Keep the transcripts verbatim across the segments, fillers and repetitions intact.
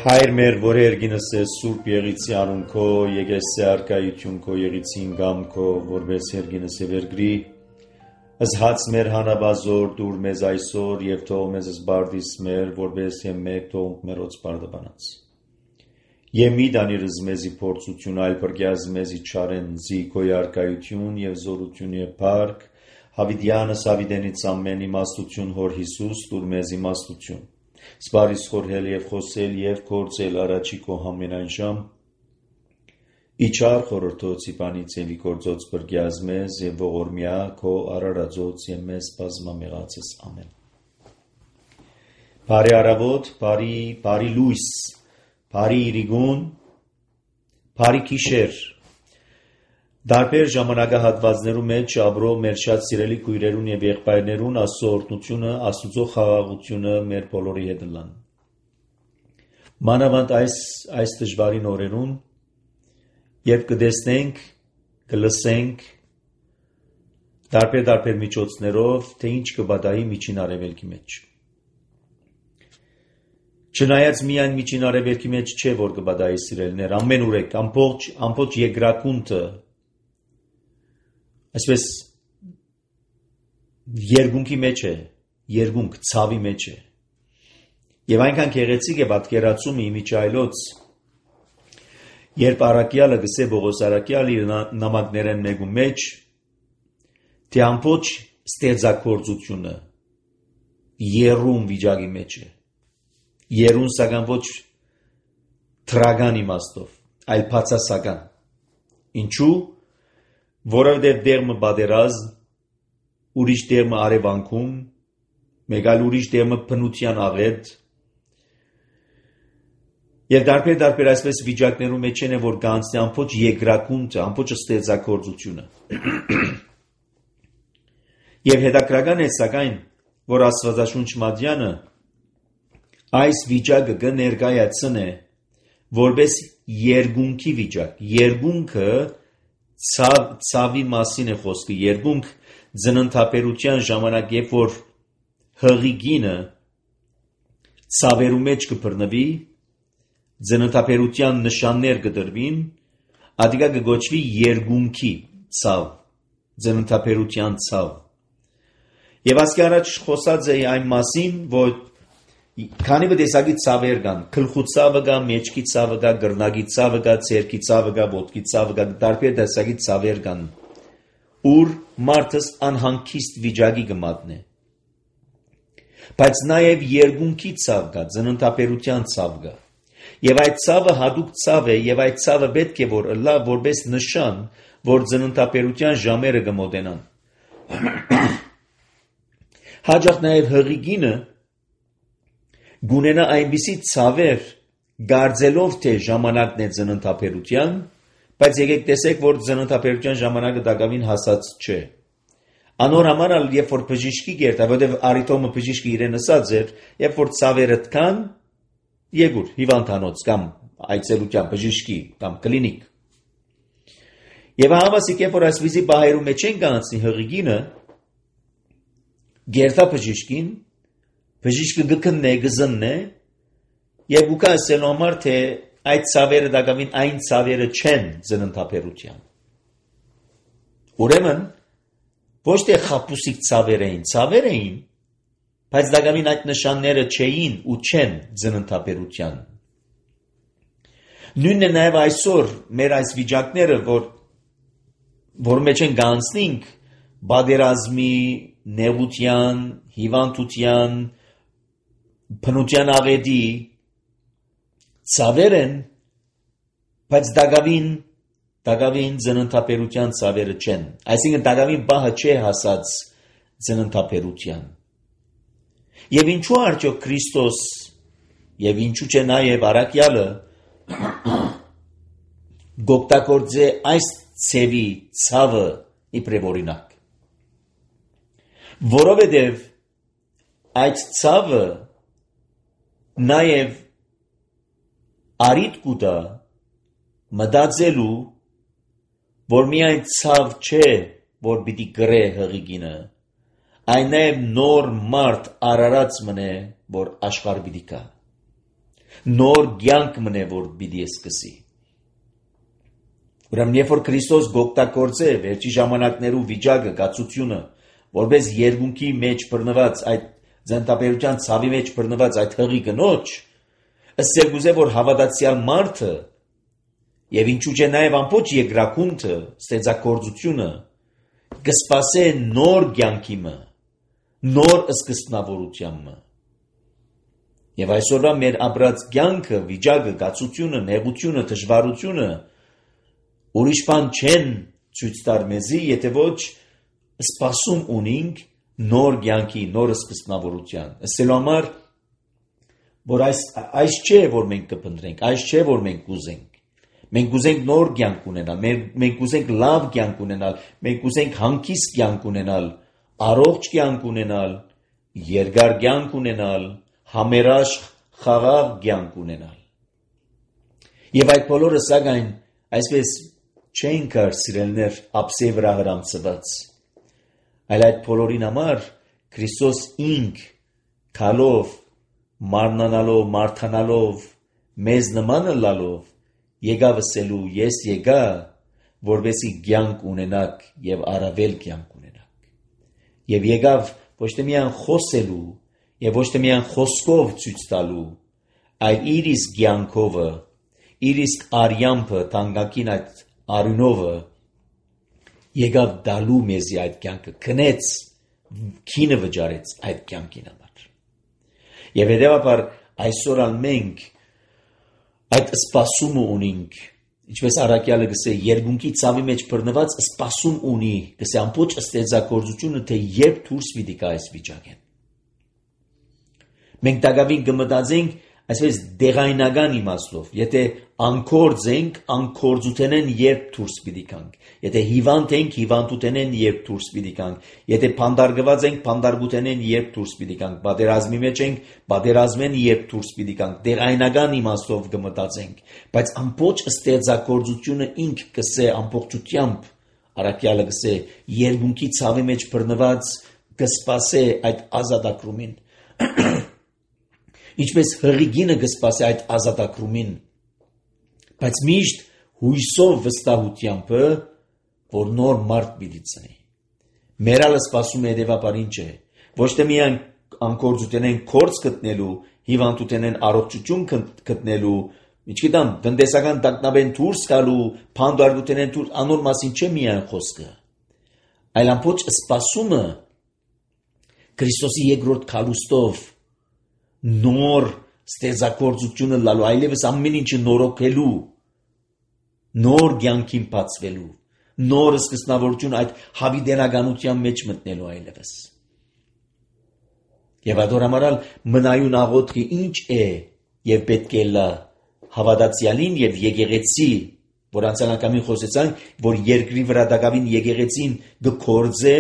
Հայր մեր, որ երգինս է սուրբ եղիցի անուն քո, եկեսի արկայություն քո, եղիցին գամ քո, որպես երգինս է վերգրի, ըզհաց մեր հանաբազոր դուր մեզ այսօր և թող մեզ զբարդիս մեր, որպես եմ մեկ թողնք մերոց բարդաբանած։ Եմ մի դանիրыз մեզի փորձություն, այլ պրգյազ մեզի չարեն զի քո արկայություն և զորություն և պարկ, հավիդյանս հավիդենից ամեն իմաստություն հոր Հիսուս դուր մեզ իմաստություն։ Սպարիս խորհել և խոսել և կործել առաջի քո համենայն ժամ, իչար խորորդոցի պանից և իկործոց բրգյազ մեզ և ողորմյա քո արարածոց և մեզ բազմամեղացես ամեն։ Բարի առավոտ, բարի, բարի լույս, բարի իրիգուն, բարի գիշեր, դարբեր ժամանակահատվածներու մեջ ապրող մեր շատ սիրելի քույրերուն և եղբայրներուն Աստծո օրհնությունը, Աստծո խաղաղությունը մեր բոլորի հետ լան։ Մանավանդ այս այս դժվարին օրերուն, երբ կտեսնենք, կլսենք դարբեր-դարբեր միջոցներով, թե ինչ կբադայի միջին արևելքի մեջ։ Չնայած միայն միջին արևելքի մեջ չէ, որ կբադայի սիրելիներ, ամեն ուրեք, ամբողջ, ամբողջ երկրակունթը այսպես երկունքի մեջ է, երկունք ցավի մեջ է։ Եվ այնքան գեղեցիկ է պատկերացումը իմիջայլոց, երբ առաքյալը գսե Պողոս առաքյալը իր նամակներեն մեկու մեջ, թե ամբողջ ստեղծագործությունը երում վիճակի մեջ է։ Երուն սակայն ոչ թրական իմաստով, այլ բացասական։ Ինչու՞, որովհետև դերմը պատերազմ, ուրիշ դերմը արևանքում, մեկ այլ ուրիշ դերմը բնության աղետ, և դարբեր-դարբեր այսպես վիճակներու մեջ են, որ կանցնի ամբողջ երկրակունթը, ամբողջ ստեղծագործությունը։ Եվ հետաքրական է սակայն, որ Աստվածաշունչ Մատյանը այս վիճակը կներկայացնե որպես երկունքի վիճակ։ Երկունքը ցավ, ցավի մասին է խոսքը։ Երկունք ծննդաբերության ժամանակ, երբ որ հղիգինը ցավերու մեջ կբռնվի, ծննդաբերության նշաններ կդրվին, ադիգա կգոչվի երկունքի ցավ, ծննդաբերության ցավ։ Եվ ասկի առաջ խոսած է այն մասին, որ քանի տեսակի ցավեր կան, գլխու ցավը կա, մեջքի ցավը կա, գրնագի ցավը կա, ցերքի ցավը կա, ոտքի ցավը կա, տարբեր տեսակի ցավեր կան, ուր մարդս անհանգիստ վիճակի կմատնե։ Բայց նաև երկունքի ցավ կա, ծննդաբերության ցավ կա։ Եվ այդ ցավը հատուկ ցավ է, եւ այդ ցավը պետք է որ լա որպես նշան, որ ծննդաբերության ժամերը կմոտենան։ Հաջող նաև հղիգինը գունենա այնպիսի ցավեր, գարձելով թե ժամանակն է ծննդաբերության, բայց եկեք տեսեք, որ ծննդաբերության ժամանակը դակավին հասած չէ։ Անոր համար ալ երբ որ բժիշկի գերտա, որտեղ արիտոմը բժիշկը իրեն ասած էր, երբ որ ցավերը տքան, եկուր հիվանդանոց կամ այցելության բժիշկի կամ կլինիկ։ Եվ հավասիկ երբ որ այսպիսի բահերու մեջ են կանցնի հղիգինը, գերտա բժիշկին, բժիշկը գքննե, գզննե, եւ ուկա ասելու համար, թե այդ ցավերը դակավին այն ցավերը չեն ծննդաբերության։ Ուրեմն, ոչ թե խապուսիկ ցավեր էին, ցավեր էին, բայց դակավին այդ նշանները չէին ու չեն ծննդաբերության։ Նույնն է նաև այսօր մեր այս վիճակները, որ որ մեջ են գանցնենք բادرազմի, նեղության, հիվանդության, բնության աղետի ցավեր են, բայց դակավին դակավին ծննդաբերության ցավերը չեն։ Այսինքն դակավին բահը չէ հասած ծննդաբերության։ Եվ ինչու արդյոք Քրիստոս եւ ինչու չէ նաեւ առաքյալը գոպտակորձե այս ցևի ցավը իբրև օրինակ։ Որովհետև այդ ցավը նաև արիտ կուտա մտածելու, որ միայն ցավ չէ, որ պիտի գրե հղիգինը, այն նաև նոր մարդ արարած մնե, որ աշխարհ պիտի գա։ Նոր կյանք մնե որ պիտի սկսի։ Ուրեմն երբ որ Քրիստոս գօգտագործե վերջի ժամանակներու վիճակը, գացությունը, որպես երկունքի մեջ բռնված այդ ձանտաբերության ցավի մեջ բռնված այդ հղի կնոջ, ըստ երկուզե որ հավատացյալ մարդը եւ ինչու՞ չէ նաեւ ամբողջ երկրակունթը, ստեղծագործությունը կսպասե նոր կյանքի մը, նոր սկզբնավորության մը։ Եվ այսօրվա մեր ապրած կյանքը, վիճակը, գացությունը, նեղությունը, դժվարությունը ուրիշ բան չեն ցույց տար մեզի, եթե ոչ սպասում ունենք նոր կյանքի, նոր սկզբնավորության։ Ասելու համար, որ այս այս չէ որ մենք կփնտրենք, այս չէ որ մենք կուզենք։ Մենք կուզենք նոր կյանք ունենալ, մենք կուզենք լավ կյանք ունենալ, մենք կուզենք հանգիստ կյանք ունենալ, առողջ կյանք ունենալ, երկար կյանք ունենալ, համերաշխ խաղաղ կյանք ունենալ։ Եվ այդ բոլորը սակայն այսպես չեն կար սիրելներ ապսե վրա հրամցված, այլ այդ բոլորին համար Քրիստոս ինք քալով, մարմնանալով, մարդանալով, մեզ նմանը լալով եկավ ասելու ես եկա, որովհետեւ կյանք ունենաք եւ առավել կյանք ունենաք։ Եվ եկավ ոչ թե միայն խոսելու եւ ոչ թե միայն խոսքով ցույց տալու, այլ իր իսկ կյանքովը, իր իսկ արյամբը, տանգակին այդ արյունովը եկավ դալու մեզի այդ կյանքը, քնեց, քինը վճարեց այդ կյանքին համար։ Եվ հետևաբար այսօր ալ մենք այդ սպասումը ունենք, ինչպես առաքյալը գսե, երկունքի ցավի մեջ բռնված սպասում ունի, գսե ամբողջ ստեղծագործությունը, թե երբ դուրս պիտի գա այս վիճակեն։ Մենք դակավին կմտածենք այսպես դեղայնական իմաստով, եթե անկորձ ենք, անկորձութենեն երբ դուրս պիտի գանք, եթե հիվանդ ենք, հիվանդութենեն երբ դուրս պիտի գանք, եթե փանդարգված ենք, փանդարգութենեն երբ դուրս պիտի գանք, պատերազմի մեջ ենք, պատերազմեն երբ դուրս պիտի գանք, դեղայնական իմաստով կմտածենք, բայց ամբողջ ստեղծագործությունը ինք կսե ամբողջությամբ, առաքյալը գսե, երկունքի ցավի մեջ բռնված կսպասե այդ ազատագրումին։ Ինչպես հղիգինը կսպասի այդ ազատագրումին, բայց միշտ հույսով վստահությամբ, որ նոր մարդ պիտի ծնի։ Մերալը սպասում է հետևաբար ինչ է, ոչ թե միայն անկորձութենեն կորձ գտնելու, հիվանդութենեն առողջություն գտնելու, ինչգիտեմ, տնտեսական տագնապեն դուրս գալու, փանդարգութենեն դուրս անոր մասին չէ միայն խոսքը, այլ ամբողջ սպասումը Քրիստոսի երկրորդ քալուստով նոր ստեղծագործությունը լալու, այլևս ամեն ինչը նորոգելու, նոր կյանքին բացվելու, նոր սկզբնավորություն այդ հավիտենականության մեջ մտնելու այլևս։ Եվ adoramaral մնայուն աղոթքը ինչ է եւ պետք է լա հավատացյալին եւ եկեղեցի, որ անցանակամին խոսեցանք, որ երկրի վրա դակավին եկեղեցին գործե,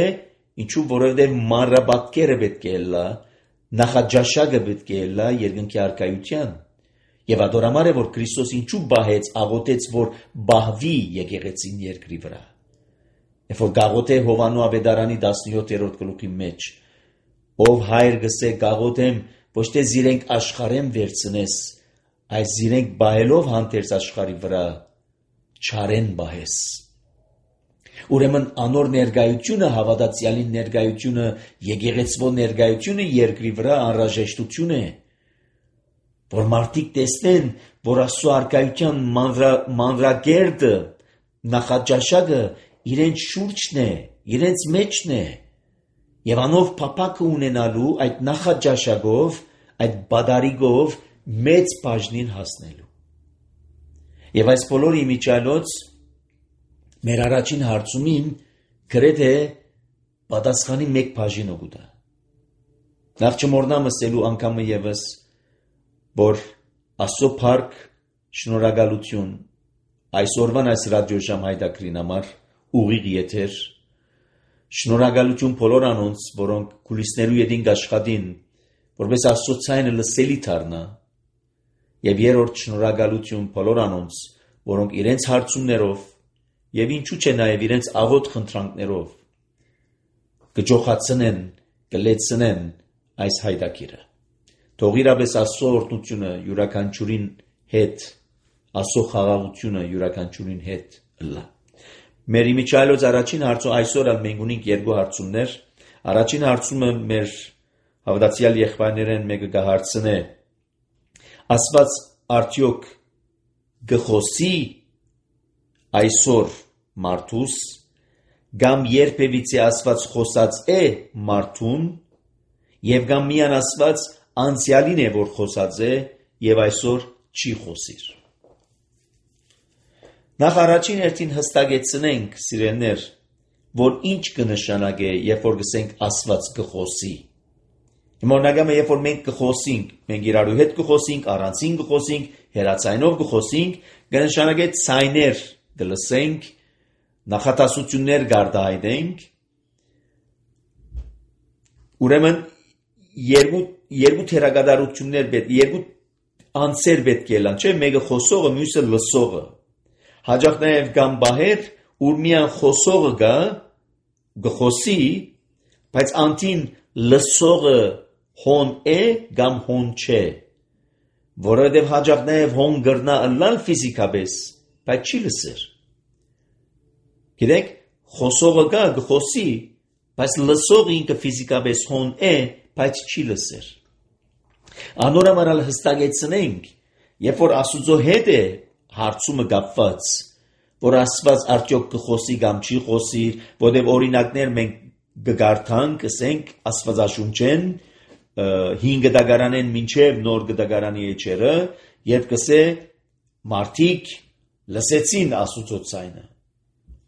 ինչու որովհետեւ մանրապատկերը պետք է լա, նախաճաշակը պետք է լա երկնքի արքայության։ Եվ adorամար է, որ Քրիստոս ինչու բահեց, աղոթեց, որ բահվի եկեղեցին երկրի վրա։ Երբ որ գաղոթե Հովանու ավետարանի տասնյոթերորդ գլուխի մեջ, ով հայր գսե գաղոթեմ, ոչ թե զիրենք աշխարհեմ վերցնես, այլ զիրենք բահելով հանդերձ աշխարհի վրա, չարեն բահես։ Ուրեմն անոր ներկայությունը, հավատացյալին ներկայությունը, եկեղեցվո ներկայությունը երկրի վրա անհրաժեշտություն է, որ մարդիկ տեսնեն, որ Աստծո արքայության մանրակերտը, նախաճաշակը իրենց շուրջն է, իրենց մեջն է, եւ անով փափակը ունենալու այդ նախաճաշակով, այդ բադարիգով մեծ բաժնին հասնելու։ Եվ այս բոլորի միջալոց մեր առաջին հարցումին գրեթե պատասխանի մեկ բաժին օգուտա։ Նախ չմոռնամ ասելու անգամը եւս, որ Աստծո փառք, շնորհակալություն այսօրվան այս ռադիոժամ հայտակրին համար ուղիղ եթեր, շնորհակալություն բոլոր անոնց, որոնք կուլիսներու ետին աշխատին, որպես Աստծո ցայնը լսելի դառնա, եւ երրորդ շնորհակալություն բոլոր անոնց, որոնք իրենց հարցումներով եւ ինչու՞ չէ նաեւ իրենց աղոտ խնդրանքներով կջոխացնեն, կլեցնեն այս հայտակիրը։ Թող իրապես Աստծո օրհնությունը յուրաքանչյուրին հետ, Աստծո խաղաղությունը յուրաքանչյուրին հետ լա։ Մեր իմիջայլոց առաջին հարցը այսօր ալ մենք ունենք երկու հարցումներ։ Առաջին հարցումը մեր հավատացյալ եղբայրներեն մեկը կհարցնե. Աստված արդյոք գխոսի այսօր մարդուս կամ երբևիցե Աստված խոսած է մարդուն եւ կամ միան Աստված անցյալին է որ խոսած է եւ այսօր չի խոսիր։ Նախ առաջին հերթին հստակեցնենք, սիրելիներ, որ ինչ կնշանակե, երբ որ գսենք Աստված կխոսի։ Հիմա օրինակը, երբ որ մենք կխոսենք, մենք իրարու հետ կխոսենք, առանցին կխոսենք, հեռացայինով կխոսենք, կնշանակե ցայներ կլսենք, նախատասություններ կարտահայտենք։ Ուրեմն երկու երկու թերագադարություններ պետք, երկու անձեր պետք է լան, չէ՞, մեկը խոսողը, մյուսը լսողը։ Հաջող նաև կամ բահեր, ուր միան խոսողը գա, գխոսի, բայց անտին լսողը հոն է կամ հոն չէ, որովհետև հաջող նաև հոն գրնա ըլլալ ֆիզիկապես, բայց չի լսեր։ Գիտեք, խոսողը գա, գխոսի, բայց լսողը ինքը ֆիզիկապես հոն է, բայց չի լսեր։ Անորամարալ հստակեցնենք, երբ որ Աստուծո հետ է հարցումը կապված, որ Աստված արդյոք կխոսի կամ չի խոսի, որտեղ օրինակներ մենք կգարթանք, ասենք Աստվածաշունչեն հինգ դագարանեն մինչև նոր դագարանի էջերը, երբ կսե մարդիկ լսեցին Աստուծո ցայնը։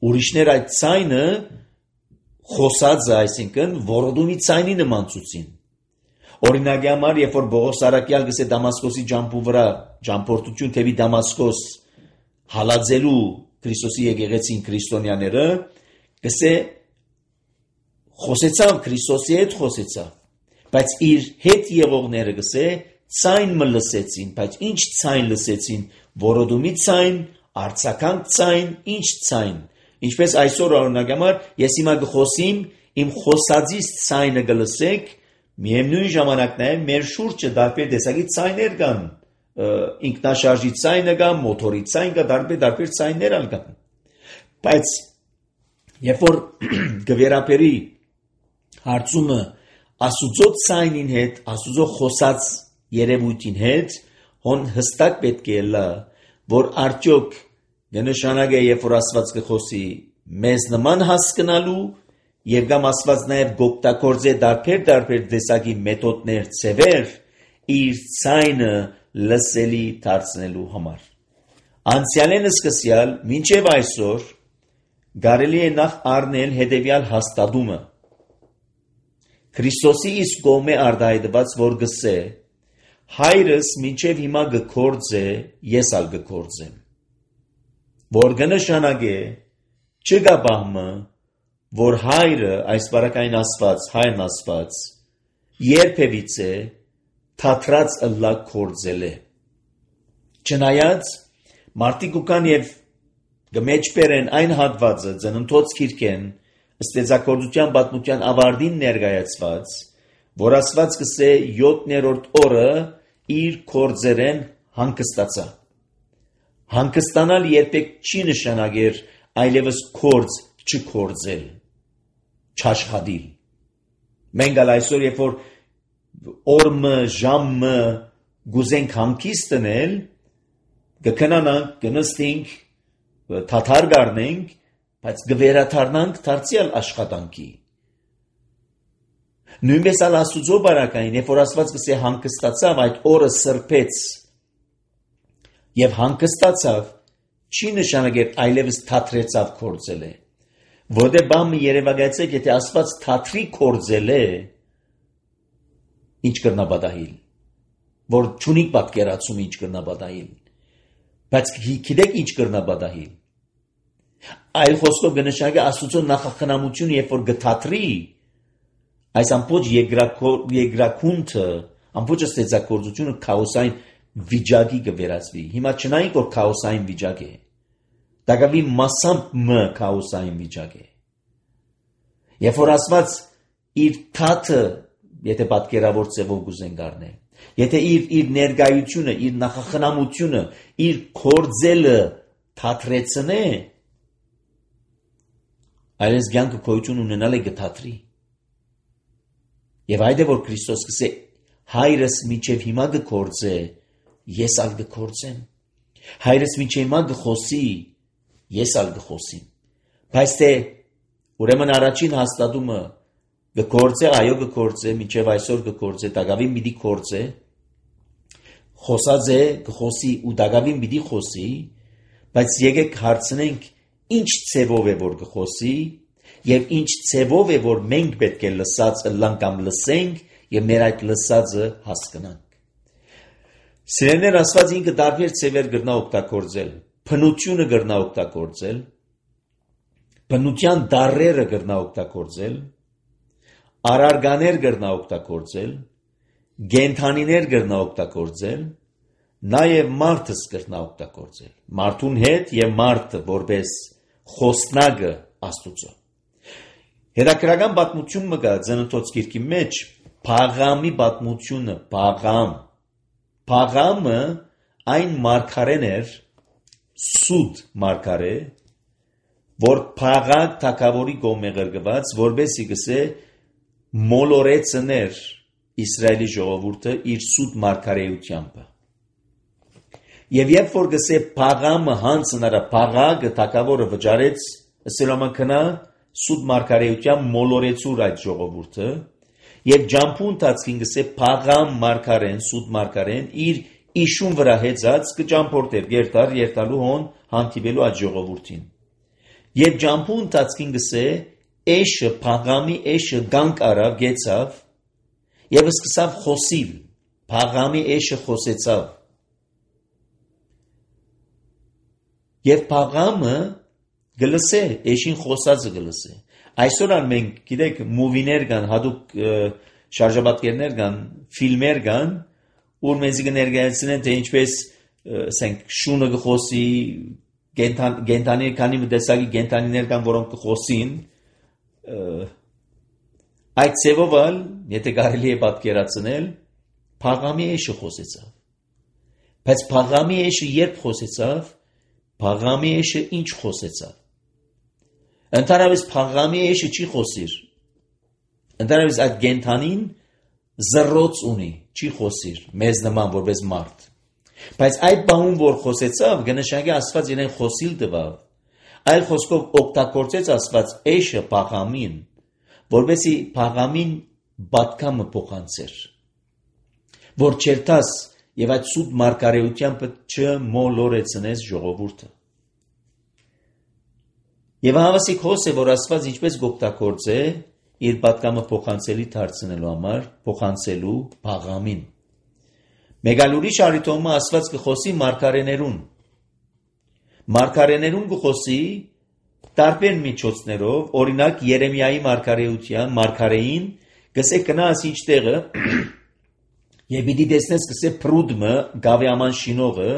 Ուրիշներ այդ ցայնը խոսած է, այսինքն որոդումի ցայնի նման ցուցին։ Օրինակի համար, երբ որ Բողոս Սարակյալ գսե Դամասկոսի ջամփու վրա, ջամփորդություն թեպի Դամասկոս հալածելու Քրիստոսի եկեղեցին քրիստոնյաները, գսե խոսեցավ Քրիստոսի հետ խոսեցավ, բայց իր հետ եղողները գսե ցայն մը լսեցին, բայց ինչ ցայն լսեցին, որոդումի ցայն, արցականք ցայն, ինչ ցայն։ Ինչպես այսօր օրինակի համար, ես հիմա կխոսիմ, իմ խոսածից ցայնը կլսեք, միևնույն ժամանակ նաև մեր շուրջը տարբեր տեսակի ցայներ կան, ինքնաշարժի ցայնը կա, մոտորի ցայն կա, տարբեր տարբեր ցայներ ալ կան։ Բայց երբ որ գվերապերի հարցումը Աստուծո ցայնին հետ, Աստուծո խոսած երևույթին հետ, հոն հստակ պետք է լա, որ արդյոք կնշանակե, երբ որ Աստված կխոսի, մեզ նման հասկանալու եւ կամ Աստված նաև գոկտակորձե դարբեր դարբեր տեսակի մեթոդներ ծևեր իր ցայնը լսելի դարձնելու համար։ Անցյալեն սկսյալ մինչև այսօր կարելի է նախ առնել հետևյալ հաստատումը։ Քրիստոսի իսկ կողմէ արտահայտված որ գսե հայրս մինչև հիմա գկործե, ես ալ գկործեմ։ Որ կնշանակե չկա բահմը, որ հայրը, այս բարակային Աստված, հայրն Աստված, երբևիցե թատրած ըլլա կործել է։ Չնայած, մարդիկ ուկան և գմեջբեր են այն հատվածը ծննդոց քիրքեն, ստեծակորդության պատմության ավարտին ներկայացված, որ Աստված կսե յոթներորդ օրը իր կործերեն հանգստացա։ Հանգստանալ երբեք չի նշանակեր այլևս կորձ չկործել, չաշխատիլ։ Մենք ալ այսօր, երբ որ օրմը, ժամը գուզենք հանգիստ տնել, կքնանանք, կնստենք, թաթար գարնենք, բայց կվերաթարնանք դարձյալ աշխատանքի։ Նույնպես ալ Աստուծո բարակային, երբ որ Աստված կսե հանգստացավ, այդ օրը սրբեց եւ հանգստացավ, չի նշանակեր այլևս թատրեցավ կործել է։ Որտե բամը երևակայեցեք, եթե Աստված թատրի կործել է, ինչ կրնա բադահիլ, որ չունի պատկերացում ինչ կրնա բադահիլ, բայց գիտեք ինչ կրնա բադահիլ։ Այլ խոսքով կնշանակե Աստուծո նախախնամությունը, երբ որ գթատրի, այս ամբողջ երկրակունթը, ամբողջ ստեղծագործությունը քաոսային վիճակի կվերածվի։ Հիմա չնայինք որ քաոսային վիճակ է, դակավի մասամբ մը քաոսային վիճակ է։ Երբ որ Աստված իր թաթը եթե պատկերավոր ձևով գուզեն գարնե, եթե իր, իր ներգայությունը, իր նախախնամությունը, իր կործելը թատրեցնե, այլես կյանքը գոյություն ունենալ է գթատրի։ Եվ այդ է, որ Քրիստոս կսե հայրս մինչև հիմա կգործե, ես ալ կգործեմ։ Հայրս մինչև հիմա կխոսի, ես ալ կխոսիմ։ Բայց թե ուրեմն առաջին հաստատումը կգործե, այո կգործե, մինչև այսօր կգործե, դակավին պիտի գործե, խոսած է կխոսի ու դակավին պիտի խոսի, բայց եկեք հարցնենք ինչ ցևով է որ կխոսի եւ ինչ ցևով է որ մենք պետք է լսած ըլլանք կամ լսենք եւ մեր այդ լսածը հասկանանք։ Սիրելիներ, Աստված ինքը տարբեր ցևեր կրնա օգտագործել, փնությունը կրնա օգտագործել, բնության դառերը կրնա օգտագործել, արարգաներ կրնա օգտագործել, գենթանիներ կրնա օգտագործել, նաև մարդս կրնա օգտագործել, մարդուն հետ եւ մարդը որպես խոսնակը Աստուծո։ Հետաքրական պատմություն մը կա Ծննդոց գիրքի մեջ, Փաղամի պատմությունը, Փաղամ։ Փաղամը այն մարգարեն էր, սուտ մարգարե, որ Փաղակ թագավորի կողմէ ղրկված, որբեսի գսե մոլորեցներ Իսրայելի ժողովուրդը իր սուտ մարգարեությամբ։ Եվ երբ որ գսե Փաղամը հանցնարա Փաղագը թագավորը վճարեց, սելոմանքնա սուտ մարգարեությամբ մոլորեցուր այդ ժողովուրդը, եւ ջամփու ընթացքին գսե Փաղամ մարգարեն, սուտ մարգարեն իր իշուն վրա հեծած կճամփորդեր երթար երթալու հոն հանդիպելու այդ ժողովուրդին։ Եվ ջամփու ընթացքին գսե էշը Փաղամի էշը գանք արավ գեցավ եւ սկսավ խոսիլ։ Փաղամի էշը խոսեցավ։ Եվ Փաղամը գլսե, էշին խոսածը գլսե։ Այսօր ան մենք գիտեք մուվիներ կան, հատուկ շարժաբատկերներ կան, ֆիլմեր կան, որ մեզ կներկայացնեն թե ինչպես ասենք շունը կխոսի, գենթանի քանի տեսակի գենթանիներ կան, որոնք կխոսին, այդ ցևով ալ, եթե կարելի է պատկերացնել, Փաղամի էշը խոսեցավ։ Բայց Փաղամի էշը երբ խոսեցավ, Փաղամի էշը ինչ խոսեցավ։ Ընդհանրապես Փաղամի էշը չի խոսիր։ Ընդհանրապես այդ գենթանին զրոց ունի, չի խոսիր, մեզ նման որպես մարդ։ Բայց այդ բանուն որ խոսեցավ, գնշագի Աստված իրեն խոսիլ տվավ, այլ խոսքով օգտագործեց Աստված էշը Փաղամին, որպեսզի Փաղամին բատկամը փոխանցեր, որ չերտաս եւ այդ սուտ մարգարեությամբ չմոլորեցնես ժողովուրդը։ Եվ հավասիկ հոս է, որ Աստված ինչպես գօգտագործե իր պատկամը փոխանցելի դարձնելու համար, փոխանցելու Փաղամին։ Մեկ այլ ուրիշ առիթում Աստված կխոսի մարգարեներուն։ Մարգարեներուն կխոսի տարբեր միջոցներով, օրինակ Երեմիայի մարգարեության, մարգարեին գսե կնաս ինչ տեղը եւ պիտի տեսնես գսե փրուդմը գավեաման շինողը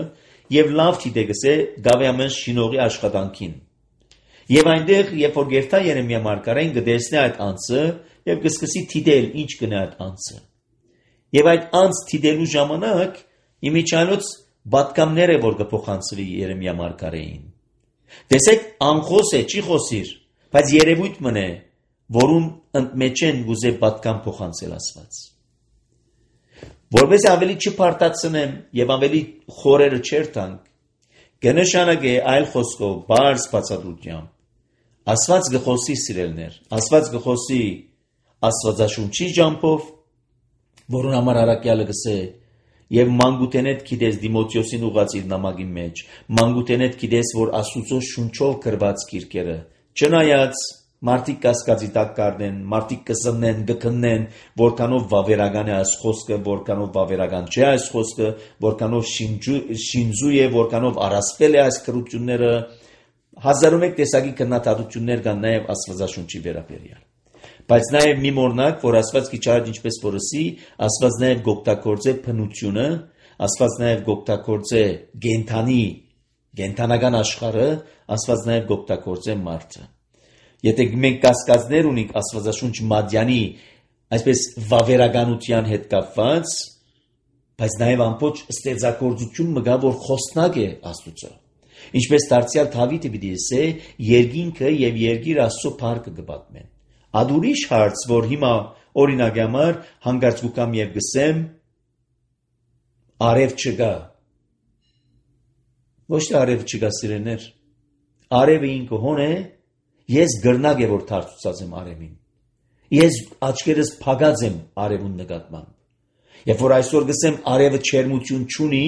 եւ լավ թիդե գսե գավեաման շինողի աշխատանքին։ Եվ այնտեղ, երբ որ գերտա Երեմիա մարգարեն կտեսնի այդ անձը եւ կսկսի թիդել ինչ կնա այդ անձը։ Եվ այդ անձ թիդելու ժամանակ իմիջիալոց բատկամներ է որ կփոխանցվի Երեմիա մարգարեին։ Տեսեք, անխոս է, չի խոսիր, բայց երևույթ մնե, որում ընդմեջեն գուզե բատկամ փոխանցել Աստված։ Որպես ավելի չփարտացնեմ եւ ավելի խորերը չերտանք, կնշանակե այլ խոսքով բարձ բացատրությամբ Աստված գխոսի սիրելներ, Աստված գխոսի Աստվածաշունչի ջամփով, որուն համար առաքյալը գսե եւ մանգուտենետ գիտես Դիմոթեոսին ուղած իր նամակի մեջ, մանգուտենետ գիտես որ Աստուծո շունչով գրված գիրքերը, չնայած մարդիկ կասկածի տակ կառնեն, մարդիկ կսնեն, կքննեն, որքանով վավերական է այս խոսքը, որքանով վավերական չէ այս խոսքը, որքանով շինձու է, որքանով առասպել է այս քրությունները, հազարում եք տեսակի քննադատություններ կան նաև Աստվածաշունչի վերաբերյալ։ Բայց նաև մի մորնակ, որ Աստված քիչարդ ինչպես որսի, Աստված նաև գօգտագործե փնությունը, Աստված նաև գօգտագործե գենթանի, գենթանական աշխարհը, Աստված նաև գօգտագործե մարդը։ Եթե մենք կասկածներ ունենք Աստվածաշունչ Մադյանի այսպես վավերականության հետ կապված, բայց նաև ամբողջ ստեղծագործություն մգա, որ խոսնակ է Աստծո։ Ինչպես դարձյալ Դավիթը պիտի ասե, երկինքը եւ երկիր Աստծո փառքը կպատմեն։ Ад ուրիշ հարց, որ հիմա օրինակի համար հանգարց կուկամ եւ գսեմ, արև չկա։ Ոչ թե արև չկա, սիրեներ։ Արևը ինքը հոն է, ես գրնակ է որ դարձած եմ արևին։ Ես աչքերս փակած եմ արևուն նկատմամբ։ Երբ որ այսօր գսեմ արևը չերմություն չունի,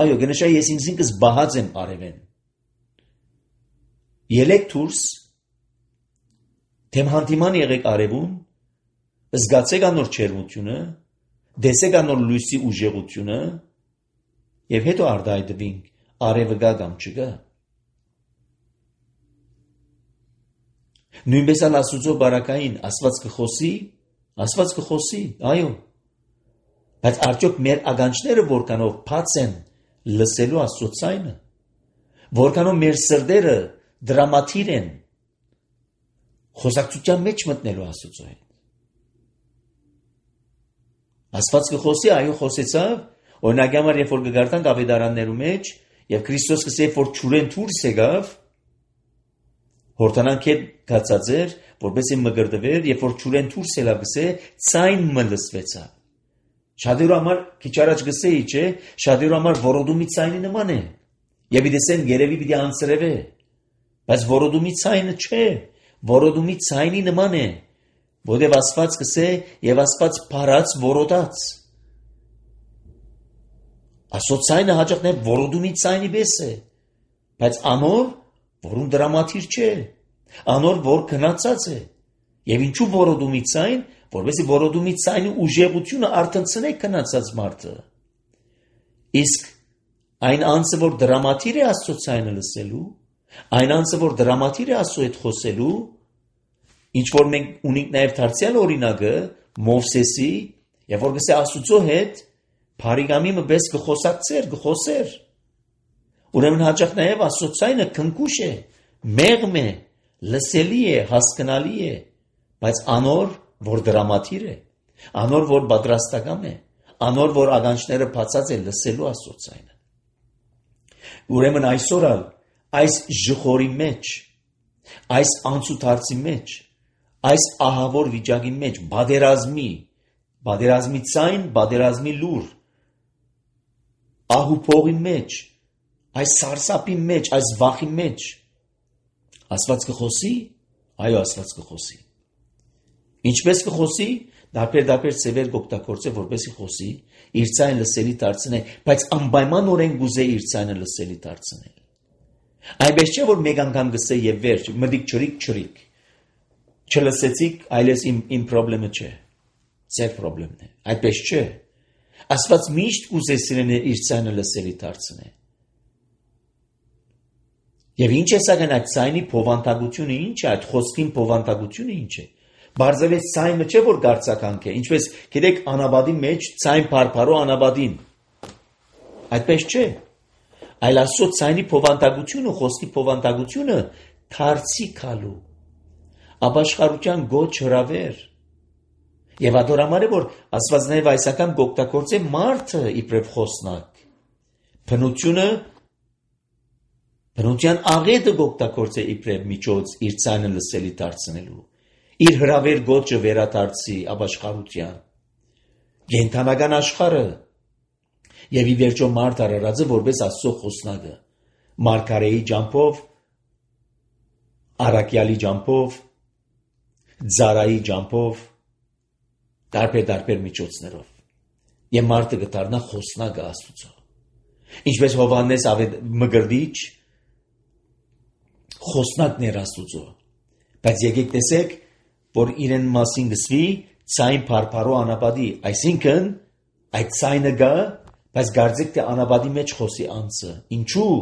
այո, գնշա ես ինքս բահած եմ արևեն։ Ելեք դուրս, թեմ հանդիման եղեք արևուն, զգացեք անոր չերմությունը, դեսեք անոր լույսի ուժեղությունը, եւ հետո արտահայտվինք արևը գա կամ չգա։ Նույնպես ալ Աստծո բարակային Աստված կխոսի, Աստված կխոսի, այո։ Բայց արդյոք մեր ականջները որքանով բաց են լսելու Աստծո ձայնը, որքանով մեր սրտերը դրամատիր են խոսակցության մեջ մտնելու Աստծո հետ։ Աստված կխոսի, այո, խոսեցավ, օրինակ համար երբ որ կգարտանք ավետարաններու մեջ եւ Քրիստոս կսե որ ճուրեն դուրս եկավ, հորտանանք հետ գացած էր, որպեսզի մգրդվեր, երբ որ ճուրեն դուրս ելավ գսե, ցայն մլսվեցավ։ Շատերու համար քիչ առաջ գսեի, չէ, շատերու համար որոդումի ցայնի նման է։ Եվ իդեսեն երևի պիտի անցրևե, բայց որոդումի ցայնը չէ, որոդումի ցայնի նման է, որտեղ Աստված կսե եւ Աստված փարած որոդած։ Աստծո ցայնը հաճախ նե որոդումի ցայնի պես է, բայց անոր, որուն դրամատիր չէ, անոր որ քնածած է։ Եվ ինչու որոդումի ցայն, որովհետեւ որոդումի ցայնի ուժեղությունը արտնցնե քնածած մարդը։ Իսկ այն անձը, որ դրամատիր է Աստծո ցայնը լսելու, այն անձը, որ դրամատիր է Աստծո հետ խոսելու, ինչ որ մենք ունենք նաև դարձյալ օրինակը Մովսեսի, եւ որ գսե Աստծո հետ Փարիգամի մպես կխոսակցեր, կխոսեր։ Ուրեմն հաճախ նաև Աստծո ցայնը քնքուշ է, մեղմ է, լսելի է, հասկանալի է, բայց անոր, որ դրամատիր է, անոր, որ պատրաստական է, անոր, որ ականջները բացած է լսելու Աստծո ցայնը։ Ուրեմն այսօր այս ժխորի մեջ, այս անցուդարձի մեջ, այս ահավոր վիճակի մեջ, բادرազմի, բادرազմի ցայն, բادرազմի լուր, ահուփողի մեջ, այս սարսափի մեջ, այս վախի մեջ, Աստված կխոսի, այո, Աստված կխոսի։ Ինչպես կխոսի, դարբեր-դարբեր ծևեր կօգտագործե, որպեսզի խոսի, իր ցայնը լսելի դարձնե, բայց անպայմանորեն գուզե իր ցայնը լսելի դարձնել։ Այնպես չէ, որ մեկ անգամ գսե եւ վերջ, մտիկ ճրիկ ճրիկ։ Չլսեցիք, այլես իմ իմ խնդրումը չէ։ Ձեր խնդրեմն է։ Այդպես չէ։ Աստված միշտ գուզե սիրենը իր ցայնը լսելի դարձնե։ Եվ ինչ է սակայն այդ ցայնի փոխանցությունը ինչ է, այդ խոսքին փոխանցությունը ինչ է։ Բարձրավեց ցայնը չէ որ գարցականք է, ինչպես գիտեք անաբադի մեջ ցայն փարփարո անաբադին։ Այդպես չէ։ Այլ Աստծո ցայնի փոխանցությունը, խոսքի փոխանցությունը թարցի քալու։ Ապաշխարության գոչ հրավեր։ Եվ ադորամար է որ Աստված նաև այսական գոկտակորձ է մարդը իբրև խոսնակ։ Բնությունը Բնության աղետը գոկտակորձ է իբրև միջոց իր ցայնը լսելի դարձնելու։ Իր հրավեր գոչը վերադարձի ապաշխարության։ Գենթանական աշխարհը եւ ի վերջո մարդ արարածը որպես Աստծո խոսնակը, Մարգարեի ջամփով, Արաքյալի ջամփով, Զարայի ջամփով, դարբեր-դարբեր միջոցներով։ Եվ մարդը կդառնա խոսնակը Աստծո։ Ինչպես Հովհաննես Մկրտիչ խոսնակն էր Աստծո։ Բայց եկեք տեսեք, որ իրեն մասին գսվի ցայն փարփարո անապադի, այսինքն այդ ցայնը գա, բայց գարձիկ թե անապադի մեջ խոսի անձը։ Ինչու՞։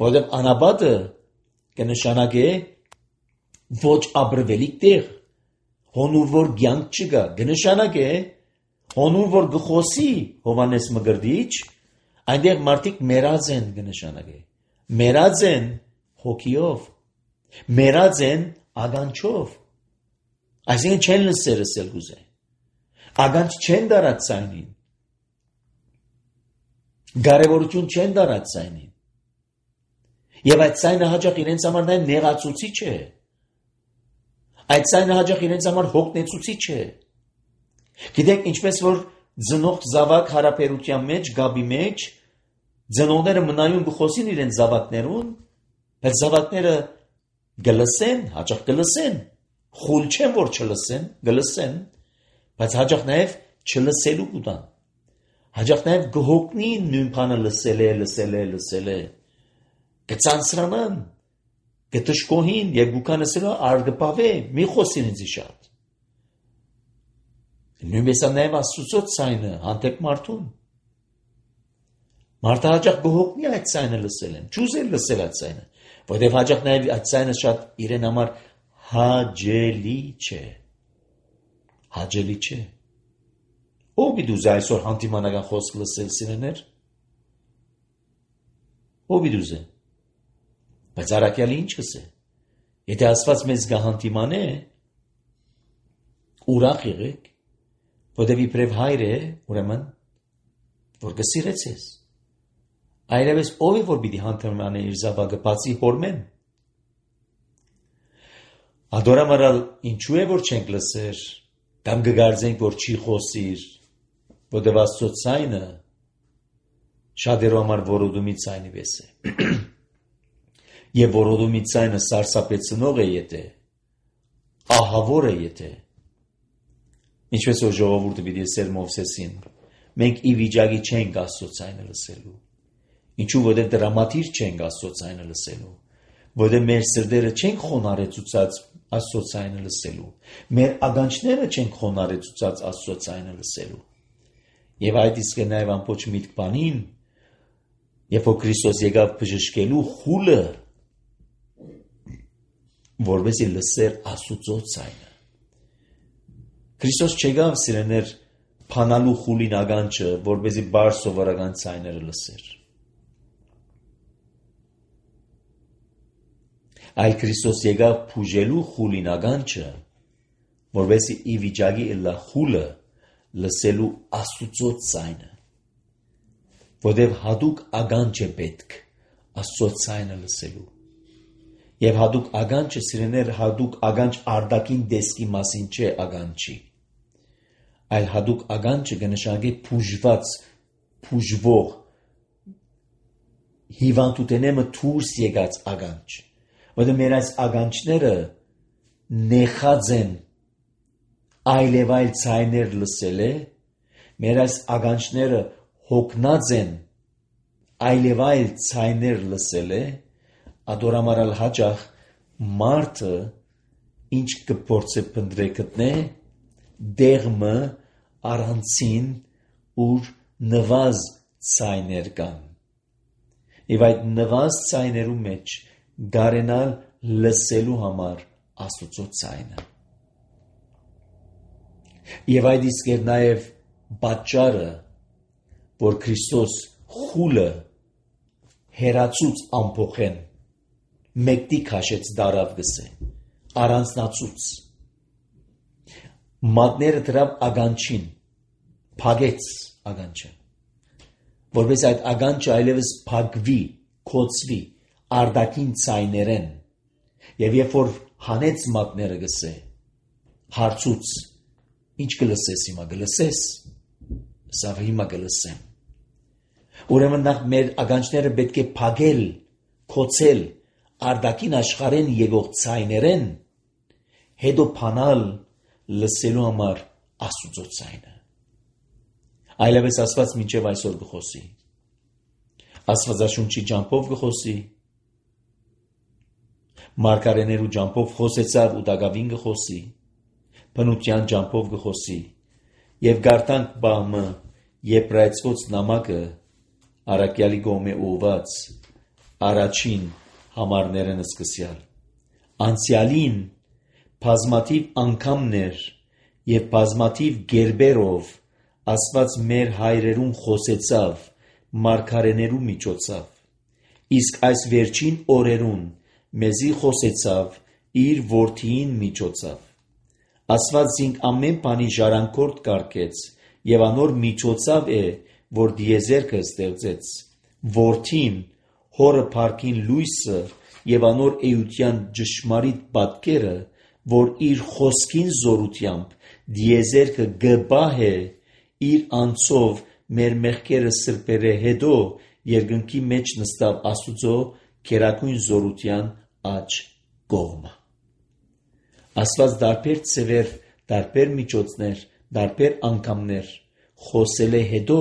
Որովհետև անապադը կնշանակե ոչ ապրվելիք տեղ, հոնուր որ կյանք չկա, կնշանակե հոնուր որ գխոսի Հովհաննես Մկրտիչ, այնտեղ մարդիկ մեռած են կնշանակե։ Մեռած են հոգիով, մեռած են ականջով։ Այսինքն չեն լսել լսել գուզե։ Ագանջ չեն դարած ցայնին։ Կարևորություն չեն դարած ցայնին։ Եվ այդ ցայնը հաճախ իրենց համար նաև նեղացուցիչ է։ Այդ ցայնը հաճախ իրենց համար հոգնեցուցիչ է։ Գիտեք, ինչպես որ ծնող զավակ հարաբերության մեջ, գաբի մեջ, ծնողները մնայուն գխոսին իրենց զավակներուն, բայց զավակները գլսեն, հաճախ գլսեն, խուլ չեն որ չլսեն, գլսեն, բայց հաճախ նաև չլսելու կուտան։ Հաճախ նաև գհոգնին նույն բանը լսել է, լսել է, լսել է։ Կցանցրանան, կտշկոհին եւ գուքան ասելով արգպավե, մի խոսին ինձ շատ։ Նույնպես նաև Աստծո ցայնը հանդեպ մարդուն։ Մարդը հաճախ գհոգնի այդ ցայնը լսել են, ճուզել լսել այդ ցայնը, որտեղ հաճախ նաև այդ ցայնը շատ իրեն համար հաճելի չէ։ Հաճելի չէ։ Ով իդուզ այսօր հանդիմանական խոսք լսել սիրեներ։ Ով իդուզ է։ Բայց արաքյալի ինչ կսե։ Եթե Աստված մեզ գահանդիման է, ուրախ եղեք, որտեղ իբրև հայր է, ուրեմն որ կսիրեց ես։ Այլևս ով է որ պիտի հանդիման է իր զավակը բացի հորմեն։ Ադորամարալ ինչու է որ չենք լսեր, կամ կգարձենք որ չի խոսիր, որտեղ Աստծո ցայնը շատերու համար որոդումի ցայնի պես է։ Եվ որոդումի ցայնը սարսափեցնող է եթե, ահավոր է եթե։ Ինչպես որ ժողովուրդը պիտի ասեր Մովսեսին, մենք ի վիճակի չենք Աստծո ցայնը լսելու։ Ինչու որտեղ դրամատիր չենք Աստծո ցայնը լսելու, որտեղ մեր սրտերը չենք խոնարհեցուցած Աստծո ցայնը լսելու։ Մեր ագանչները չենք խոնարհեցուցած Աստծո ցայնը լսելու։ Եվ այդ իսկ է նաև ամբողջ միտք բանին, երբ որ Քրիստոս եկավ բժշկելու խուլը, որովհետեւ լսեր Աստծո ցայնը։ Քրիստոս չեկավ սիրեներ փանալու խուլին ագանչը, որովհետեւ բար սովորական ցայները լսեր։ Այլ Քրիստոս եկավ փուժելու խուլին ագանչը, որովհետեւ ի վիճակի ըլլա խուլը լսելու Աստծո ցայնը, որովհետև հատուկ ագանչ է պետք Աստծո ցայնը լսելու։ Եվ հատուկ ագանչը սիրեներ հատուկ ագանչ արդակին դեսքի մասին չէ ագանչի, այլ հատուկ ագանչը կնշանակի փուժված, փուժվող, հիվանդութենեմը դուրս եկած ագանչ, որովհետև մեր այս ագանչները նեխած են այլև այլ ցայներ լսել է, մեր այս ագանչները հոգնած են այլև այլ ցայներ լսել է, ադորամարալ հաճախ մարդը ինչ կփորձե փնտրե գտնե դեղմը առանցին ուր նվազ ցայներ կան։ Եվ այդ նվազ ցայներու մեջ գարենալ լսելու համար Աստծո ցայնը։ Եվ այդ իսկ էր նաև պատճառը, որ Քրիստոս խուլը հերացուց ամփոխեն, մեկտի քաշեց դարավ գսե, առանձնացուց, մատները դրավ ագանչին, փագեց ագանչը, որպես այդ ագանչը այլևս փագվի, կոծվի, արդակին ցայներեն, եւ երբ որ հանեց մատները գսե, հարցուց, ինչ կլսես հիմա գլսես, սավ հիմա գլսեմ։ Ուրեմն նախ մեր ագանչները պետք է փագել, կոծել, արդակին աշխարհեն եկող ցայներեն, հետո փանալ լսելու համար Աստծո ցայնը։ Այլևս Աստված մինչև այսօր գխոսի։ Աստվածաշունչի ջամփով գխոսի։ Մարգարեներու ջամփով խոսեցավ ու դակավին գխոսի։ Բնության ջամփով գխոսի։ Եվ գարտանք բամը եբրայեցված նամակը Արաքյալի գոմե ուված առաջին համարներն սկսյալ։ Անցյալին բազմաթիվ անգամներ եւ բազմաթիվ գերբերով Աստված մեր հայրերուն խոսեցավ մարգարեներու միջոցով, իսկ այս վերջին օրերուն մեզի խոսեցավ իր որդիին միջոցով, Աստված ինք ամեն բանի ժառանգորդ կարգեց եւ անոր միջոցով է, որ դիեզերքը ստեղծեց, որդին, հորը փառքին լույսը եւ անոր էության ճշմարիտ պատկերը, որ իր խոսքին զորությամբ դիեզերքը գբահ է իր անցով մեր մեղքերը սրբերը հետո երկնքի մեջ նստավ Աստուծո քերակույն զորության աջ կողմը։ Աստված դարբեր ծևեր, դարբեր միջոցներ, դարբեր անգամներ խոսել է հետո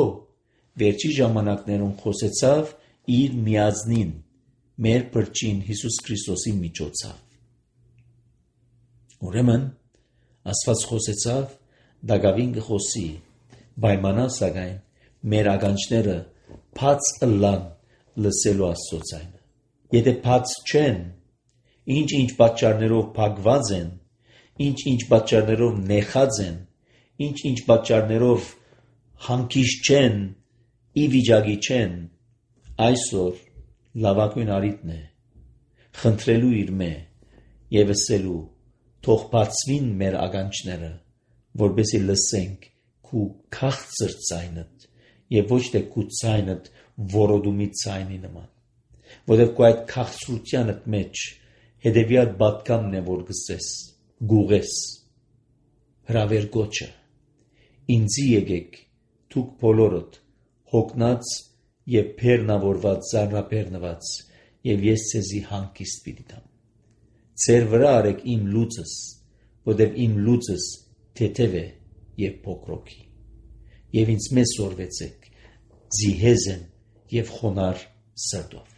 վերջի ժամանակներում խոսեցավ իր միածնին մեր բրճին Հիսուս Քրիստոսի միջոցով։ Ուրեմն Աստված խոսեցավ դակավին կխոսի, պայմանա սակայն մեր ականջները բաց ըլլան լսելու Աստծո ձայնը։ Եթե բաց չեն, ինչ-ինչ պատճառներով փակված են, ինչ-ինչ պատճառներով նեխած են, ինչ-ինչ պատճառներով հանգիստ չեն, ի վիճակի չեն, այսօր լավագույն առիթն է խնդրելու իր մե եւ ասելու թող բացվին մեր ականջները, որպեսզի լսենք քու քաղցր ձայնդ եւ ոչ թե քու ձայնդ որոդումի ձայնի նման, որովհետեւ քու այդ քաղցրությանդ մեջ հետեւյալ պատկամն է, որ գսես, գուղես, հրավեր գոչը, ինձի եկեք, թուք բոլորդ, հոգնած եւ բեռնավորված, զարնաբեռնված, եւ ես ցեզի հանգիստ պիտի տամ։ Ձեր վրա արեք իմ լուծս, որովհետեւ իմ լուծս թեթև է եւ փոքրոքի։ Եվ ինձ մեզ սորվեցեք, զիհեզեն եւ խոնար սրտով։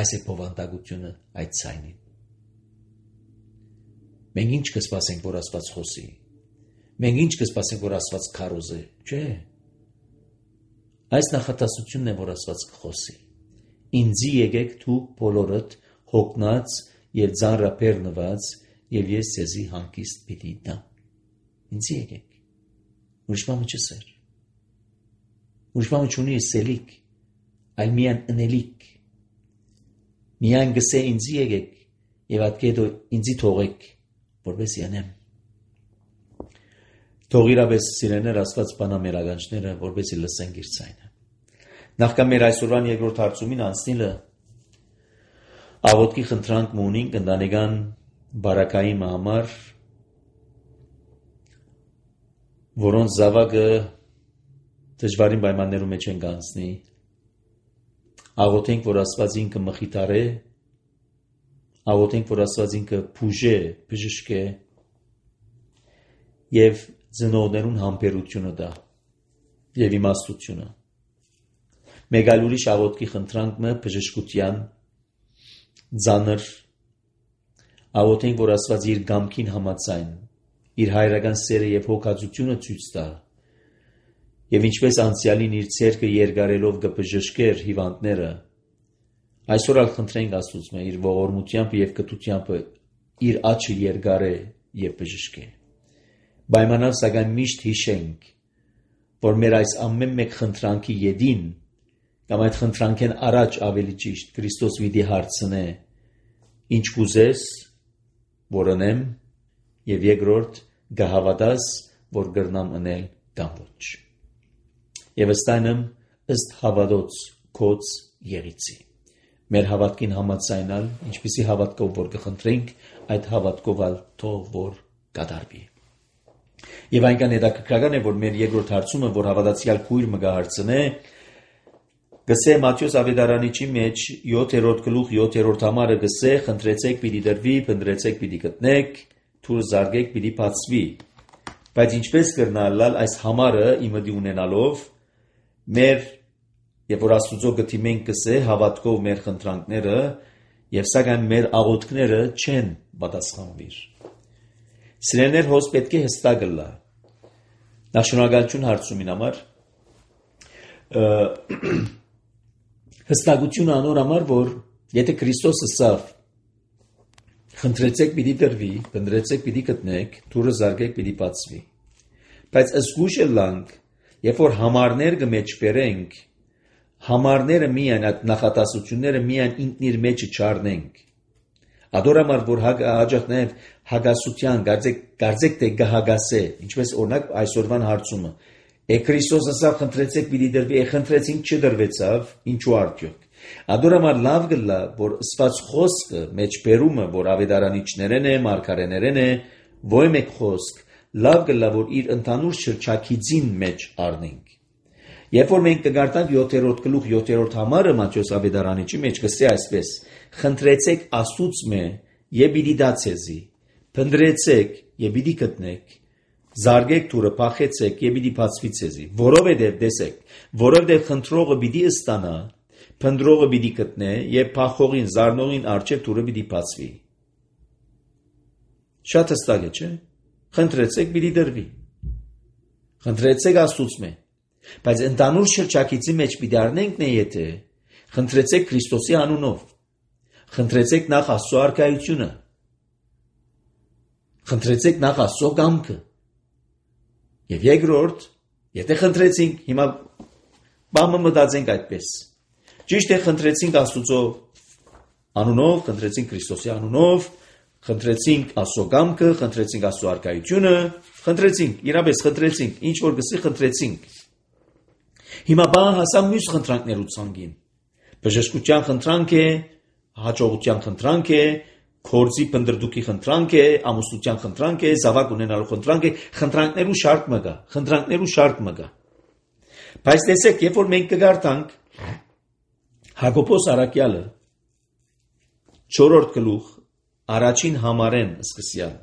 Այս է բովանդակությունը այդ ցայնին։ Մենք ինչ կսպասենք, որ Աստված խոսի։ Մենք ինչ կսպասենք, որ Աստված քարոզի, չէ։ Այս նախատասությունն է, որ Աստված կխոսի։ Ինձի եկեք դուք բոլորդ հոգնած եւ ծանրաբեռնված, եւ ես ցեզի հանգիստ պիտի տամ։ Ինձի եկեք։ Ուրիշ բան չսեր։ Ուրիշ բան չունի սելիկ, այլ միան ընելիք։ Միան գսե ինձի եկեք եւ ատկեդո ինձի թողեք, որպես յանեմ։ Թող իրապես սիրեներ Աստված բանա մեր ականջները, որպեսզի լսենք իր ձայնը։ Նախքան մեր այսօրվան երկրորդ հարցումին անցնելը աղոթքի խնդրանք ունենք ընտանեկան բարակայի համար, որոնց զավակը դժվարին պայմաններում մեջ են կանցնի։ Աղոթենք, որ Աստված ինքը մխիթարե, աղոթենք, որ Աստված ինքը բուժե, բժշկե եւ ծնողներուն համբերությունը տա եւ իմաստությունը։ Մեկ այլ ուրիշ աղոթքի խնդրանքը բժշկության ծանր աղոթենք, որ Աստված իր գամքին համաձայն իր հայրական սերը եւ հոգացությունը ցույց տա եւ ինչպես անցյալին իր ցերկը երկարելով կբժշկեր հիվանդները, այսօր ալ խնդրենք Աստծուց մե իր ողորմությամբ եւ կտությամբ իր աչքը երկարե եւ բժշկե։ Պայմանալ սակայն միշտ հիշենք, որ մեր այս ամեն մեկ խնդրանքի յետին կամ այդ խնդրանքեն առաջ ավելի ճիշտ Քրիստոս վիդի հարցնե ինչ կուզես, որ անեմ, եւ երկրորդ գահավատաս, որ կրնամ անել կամ ոչ։ Եվ ըստայնմ ըստ հավատոց քոց եղիցի։ Մեր հավատքին համաձայնալ, ինչպիսի հավատքով որ կխնդրենք, այդ հավատքով ալ թող որ կատարվի։ Եվ այնքան հետաքրքրական է, որ մեր երկրորդ հարցումը, որ հավատացյալ քույր մը կհարցնե, գսե Մատթեոս ավետարանիչի մեջ յոթերորդ գլուխ յոթերորդ համարը գսե խնդրեցեք պիտի դրվի, փնտրեցեք պիտի գտնեք, թուր զարգեք պիտի բացվի։ Բայց ինչպես կրնալալ այս համարը իմը դի ունենալով մեր եւ որ Աստուծո գտիմենք գսե հավատքով մեր խնդրանքները եւ սակայն մեր աղոթքները չեն պատասխանվիր։ Սիրելիներ, հոս պետք է հստակ լա։ Նախ շնորհակալություն հարցումին համար հստակություն անոր համար, որ եթե Քրիստոսը սավ խնդրեցեք պիտի դրվի, փնտրեցեք պիտի գտնեք, թուրը զարգեք պիտի բացվի։ Բայց զգուշ լանք, երբ որ համարներ կմեջ բերենք, համարները միայն այդ նախատասությունները միայն ինքն իր մեջը չառնենք, Ադորամար որ հաջող նաև հագասության գարձեք թե գահագասե, ինչպես օրինակ այսօրվան հարցումը։ Է Քրիստոս ասավ խնդրեցեք պիտի դրվի, է խնդրեցինք չդրվեցավ, ինչու արդյոք։ Ադորամար լավ գլա, որ ըսված խոսքը մեջ բերումը, որ ավետարանիչներեն է, մարգարեներեն է, ոյ մեկ խոսք, լավ գլա, որ իր ընդհանուր շրջակիցին մեջ առնենք։ Երբ որ մենք կգարտանք յոթերորդ գլուխ յոթերորդ համարը Մատթեոս ավետարանիչի մեջ կստի այսպես. խնդրեցեք Աստծուց եւ պիտի դա ցեզի, փնտրեցեք եւ պիտի գտնեք, զարգեք դուրը փախեցեք եւ պիտի բացվի ցեզի, որովհետեւ տեսեք, որովհետեւ խնդրողը պիտի ստանա, փնտրողը պիտի գտնե եւ փախողին զարնողին արչեւ դուրը պիտի բացվի։ Շատ հստակ է, չէ՞։ Խնդրեցեք պիտի դրվի։ Խնդրեցեք Աստծուց Բայց ընդանուր շրջակիցի մեջ պիտի առնենք նե եթե խնդրեցեք Քրիստոսի անունով, խնդրեցեք նախ Աստծո արքայությունը, խնդրեցեք նախ Աստծո կամքը, եւ երկրորդ, եթե խնդրեցինք, հիմա բամը մտածենք այդպես, ճիշտ է խնդրեցինք Աստծո անունով, խնդրեցինք Քրիստոսի անունով, խնդրեցինք Աստծո կամքը, խնդրեցինք Աստծո արքայությունը, խնդրեցինք, իրապես խնդրեցինք, ինչ որ գսի խնդրեցինք։ Հիմա բան հասա մյուս խնդրանքներու ցանկին։ Բժշկության խնդրանք է, հաջողության խնդրանք է, կորձի փնդրդուկի խնդրանք է, ամուսնության խնդրանք է, զավակ ունենալու խնդրանք է, խնդրանքներու շարք մը կա, խնդրանքներու շարք մը կա։ Բայց տեսեք, երբ որ մենք կգարտանք Հակոբոս Արաքյալը չորրորդ գլուխ առաջին համարեն սկսյալ։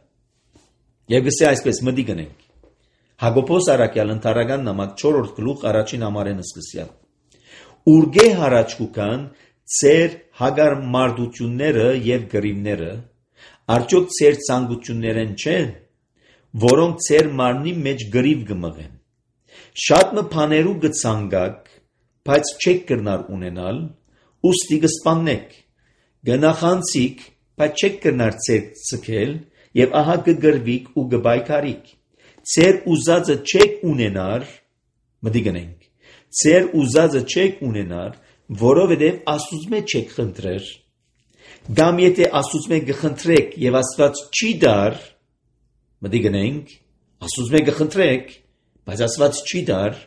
Եվ գսե այսպես մտի գնենք։ Հակոբոս Արաքյալ ընթարական նամակ չորրորդ գլուխ առաջին համարեն սկսյալ։ Ուրգե հարաճկուքան ծեր հագար մարդությունները եւ գրիվները, արդյոք ծեր ցանկություններեն չեն, որոնք ծեր մարմնի մեջ գրիվ կմղեն։ Շատ մը բաներու կցանգակ, բայց չեք կրնար ունենալ, ուստի կսպաննեք։ Գնախանցիկ, բայց չեք կրնար ծեր ցկել, եւ ահա կգրվիկ ու կբայքարիկ։ Ձեր ուզածը չեք ունենար, մտի գնենք, ձեր ուզածը չեք ունենար, որովհետև Աստծուց մեջ չեք խնդրեր, կամ եթե Աստծուց մեջ գխնդրեք եւ Աստված չի դար, մտի գնենք, Աստծուց մեջ գխնդրեք, բայց Աստված չի դար,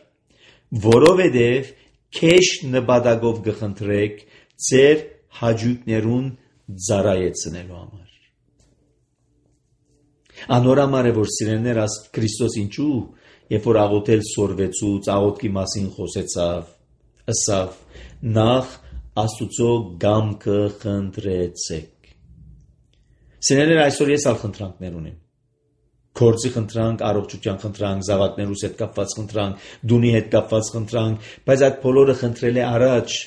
որովհետև քեշ նպատակով գխնդրեք ձեր հաճույքներուն ծառայեցնելու համար։ Անորամար է որ սիրելիներ աստ Քրիստոս ինչու, երբ որ աղոթել սորվեցուց, աղոթքի մասին խոսեցավ, ըսավ, նախ Աստուծո գամքը խնդրեցեք։ Սիրելիներ այսօր ես ալ խնդրանքներ ունեմ։ Գործի խնդրանք, առողջության խնդրանք, զավակներուս հետ կապված խնդրանք, դունի հետ կապված խնդրանք, բայց այդ բոլորը խնդրել է առաջ։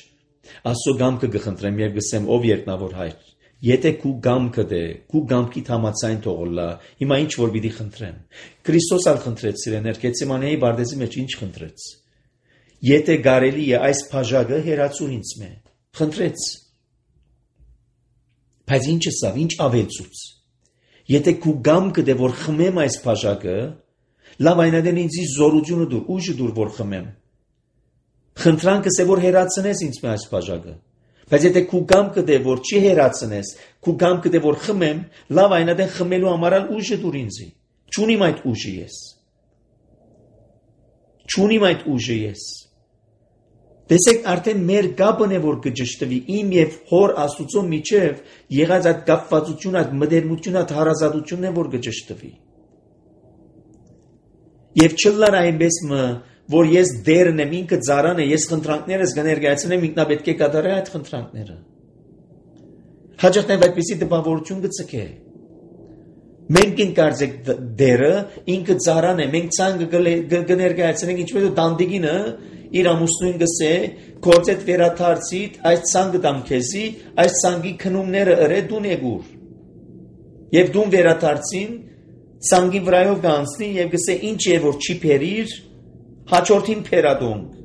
Աստծո գամքը կխնդրեմ եւ գսեմ ով երկնավոր հայր։ Եթե քու գամքը դե, քու գամքի համացայն թողոլա, հիմա ինչ որ պիտի խնդրեմ։ Քրիստոս ալ խնդրեց սիրեներ, Գեթսեմանեի բարձի մեջ ինչ խնդրեց։ Եթե գարելի է այս բաժակը հերացուր ինձ մե, խնդրեց։ Բայց ինչ ասավ, ինչ ավելցուց։ Եթե քու գամքը դե որ խմեմ այս բաժակը, լավ այնադեն ինձի զորությունը դուր, ուժը դուր որ խմեմ։ Խնդրանքս է որ հերացնես ինձ մե այս բաժակը։ Բայց եթե քու գամքը դե որ չի հերացնես, քու գամքը դե որ խմեմ, լավ այնադեն խմելու համար ուժը դուր ինձի։ Չունիմ այդ ուժը ես։ Չունիմ այդ ուժը ես։ Տեսեք արդեն մեր գաբն է որ կճշտվի իմ եւ հոր Աստուծո միջև եղած այդ կապվածությունը, այդ մտերմությունը, այդ հարազատությունն է որ կճշտվի։ Եվ չլար այնպես մը որ ես դերն եմ, ինքը ծառան է, ես խնդրանքներս կներկայացնեմ, ինքնապետք է կատարել այդ խնդրանքները։ Հաջողներով այդպիսի տպավորություն գծկե։ Մենք ենք կարծեք դերը, ինքը ծառան է, մենք ցանկը կներկայացնենք, ինչպես ու դանդիգինը իր ամուսնուն գսե, կործետ վերաթարցիտ, այս ցանկը դամ քեզի, այս ցանկի քնումները ըրե դուն եկուր։ Եվ դուն վերաթարցին, ցանկի վրայով կանցնի եւ գսե ինչ է որ չի փերիր, հաջորդին փերադոնք։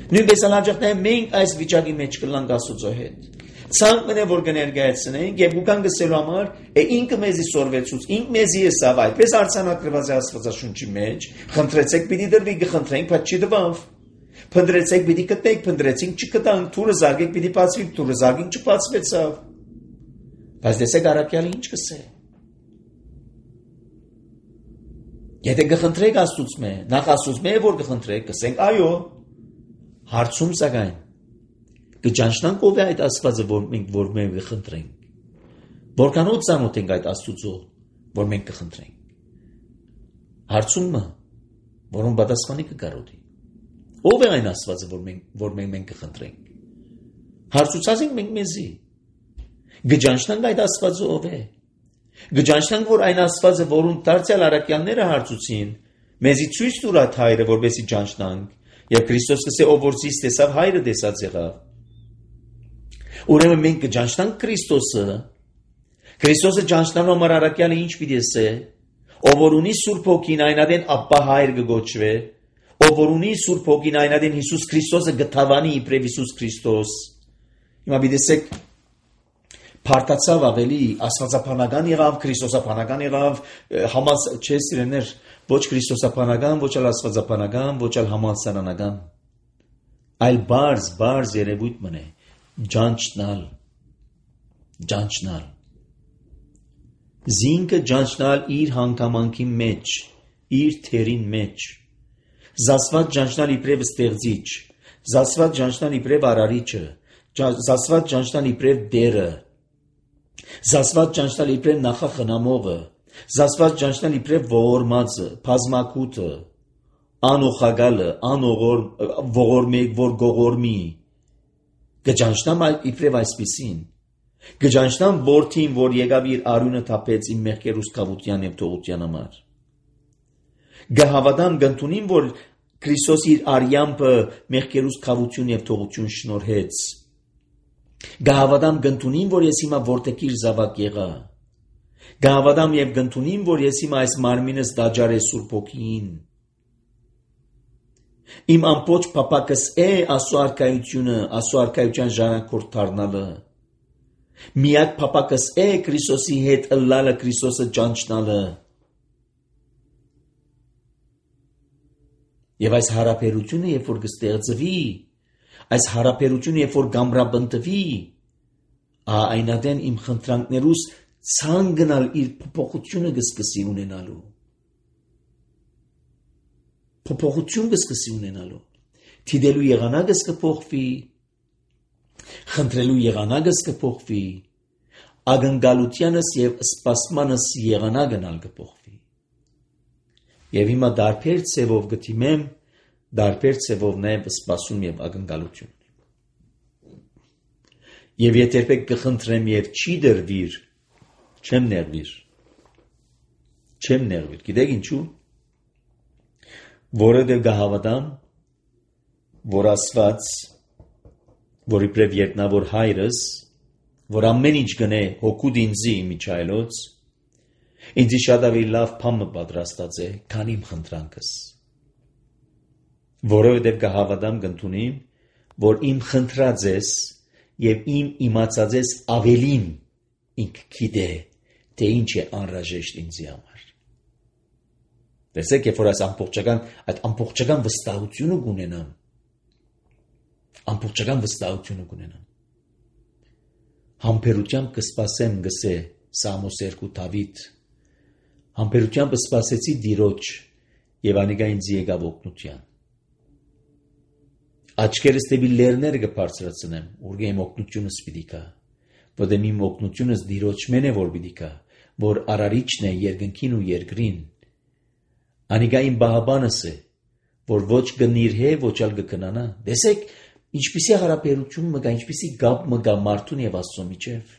Նույնպես հաջողները մենք այս վիճակի մեջ կլանք Աստծո հետ։ Ցանկն է որ կներկայացնենք եւ ուկան գսելու համար է ինքը մեզի սորվեցուց, ինք մեզի է սավ այդպես արցանակրված է Աստվածաշունչի մեջ, խնդրեցեք պիտի դրվի, գխնդրենք, բայց չի դվավ։ Փնտրեցեք պիտի գտնեք, փնտրեցինք չգտանք, թուրը զարգեք պիտի բացվի, թուրը զարգին չբացվեցավ։ Բայց դեսեք առաքյալը ինչ կսե։ Եթե կխնդրեք Աստծուց մե, նախ Աստծուց մե որ կխնդրեք, կսենք այո։ Հարցում սակայն կճանչնանք ով է այդ Աստվածը, որ մենք որ մենք կխնդրենք։ Որքանով ծանոթ ենք այդ Աստծուց, որ մենք կխնդրենք։ Հարցումը, որոնց պատասխանի կգարոդի։ Ով է այն Աստվածը, որ մենք որ մենք մենք կխնդրենք։ Հարցուցած ենք մենք մեզի։ Գճանչնանք այդ Աստվածը ով է։ Գճանչնանք որ այն Աստվածը, որուն դարձյալ առաքյալները հարցուցին, մեզի ցույց տուր այդ հայրը, որպեսզի ճանչնանք, եւ Քրիստոսը ասե ով որ ցույց տեսավ հայրը տեսած եղավ։ Ուրեմն մենք կճանչնանք Քրիստոսը։ Քրիստոսը ճանչնալու համար առաքյալը ինչ պիտի ասե։ Ով որ ունի Սուրբ Հոգին այնադեն Աբբա հայր կգոչվե, ով որ ունի Սուրբ Հոգին այնադեն Հիսուս Քրիստոսը գտավանի իբրև Հիսուս Քրիստոս։ Հիմա պիտի Փարտացավ ավելի աստվածապանական եղավ, քրիստոսապանական եղավ, համաց չէ սիրեներ, ոչ քրիստոսապանական, ոչ էլ աստվածապանական, ոչ էլ համալսարանական, այլ բարձ, բարձ երևույթ մնե, ջանչնալ, ջանչնալ, զինքը ջանչնալ իր հանգամանքի մեջ, իր թերին մեջ, զասված ջանչնալ իբրև ստեղծիչ, զասված ջանչնալ իբրև արարիչը, զասված ջանչնալ իբրև դերը, զասված ջանչնալ իբրև նախախնամողը, զասված ջանչնալ իբրև ողորմածը, բազմակութը, անօխագալը, անողոր ողորմեկ որ գողորմի, գջանչնամ իբրև այսպիսին, գջանչնամ որդին, որ եկավ իր արյունը թափեց իմ մեղքեր ուսկավության և թողության համար, գհավատամ գնդունին, որ Քրիստոս իր արյամբը մեղքեր ուսկավություն և թողություն շնորհեց, գահավադամ գնդունին, որ ես հիմա որտեղ իր զավակ եղա, գահավադամ և գնդունին, որ ես հիմա այս մարմինս դաջար է Սուրբ Հոգին, իմ ամբողջ փափակս է Աստծո արքայությունը, Աստծո արքայության ժառանգորդ դառնալը, միակ փափակս է Քրիստոսի հետ ըլլալը, Քրիստոսը ճանչնալը, և այս հարաբերությունը, երբ որ կստեղծվի, այս հարաբերությունը, երբ որ գամրաբնդվի, այնադեն իմ խնդրանքներուս ցան գնալ իր փոփոխությունը կսկսի ունենալու։ Փոփոխություն կսկսի ունենալու։ Թիդելու եղանակս կփոխվի, խնդրելու եղանակս կփոխվի, ակնկալությանս եւ սպասմանս եղանակն ալ կփոխվի։ Եվ հիմա դարբեր ցևով գտիմեմ, դարբեր ցևով նաեւ սպասում եւ ակնկալություն։ Եվ եթե երբեք կխնդրեմ եւ չի դրվիր, չեմ ներվիր։ Չեմ ներվիր։ Գիտեք ինչու՞։ Որովհետեւ գահավատամ, որ Աստված, որ իբրև երկնավոր հայրս, որ ամեն ինչ գնե հոգուտ ինձի միջայլոց, ինձի շատ ավելի լավ բան պատրաստած է, քան իմ խնդրանքս։ Որովհետև կհավատամ կընդունիմ, որ իմ խնդրած ես և իմ իմացած ես ավելին ինք գիտե, թե ինչ է անհրաժեշտ ինձի համար։ Տեսեք, երբ որ այս ամբողջական, այդ ամբողջական վստահությունը կունենամ, ամբողջական վստահությունը կունենամ, համբերությամբ կսպասեմ, գսե Սամոս երկու Դավիթ, համբերությամբ սպասեցի Տիրոջ և անիկա ինձ եկավ օգնության։ Աչքերս դեպի լեռները կբարձրացնեմ, ուր իմ օգնությունս պիտի գա, որտեղ իմ օգնությունս Տիրոջմեն է որ պիտի գա, որ արարիչն է երկնքին ու երկրին։ Անիկա իմ բահաբանս է, որ ոչ կնիրհե, ոչ ալ կքնանա։ Տեսեք, ինչպիսի հարաբերություն մը կա, ինչպիսի գապ մը կա մարդուն եւ Աստծո միջև։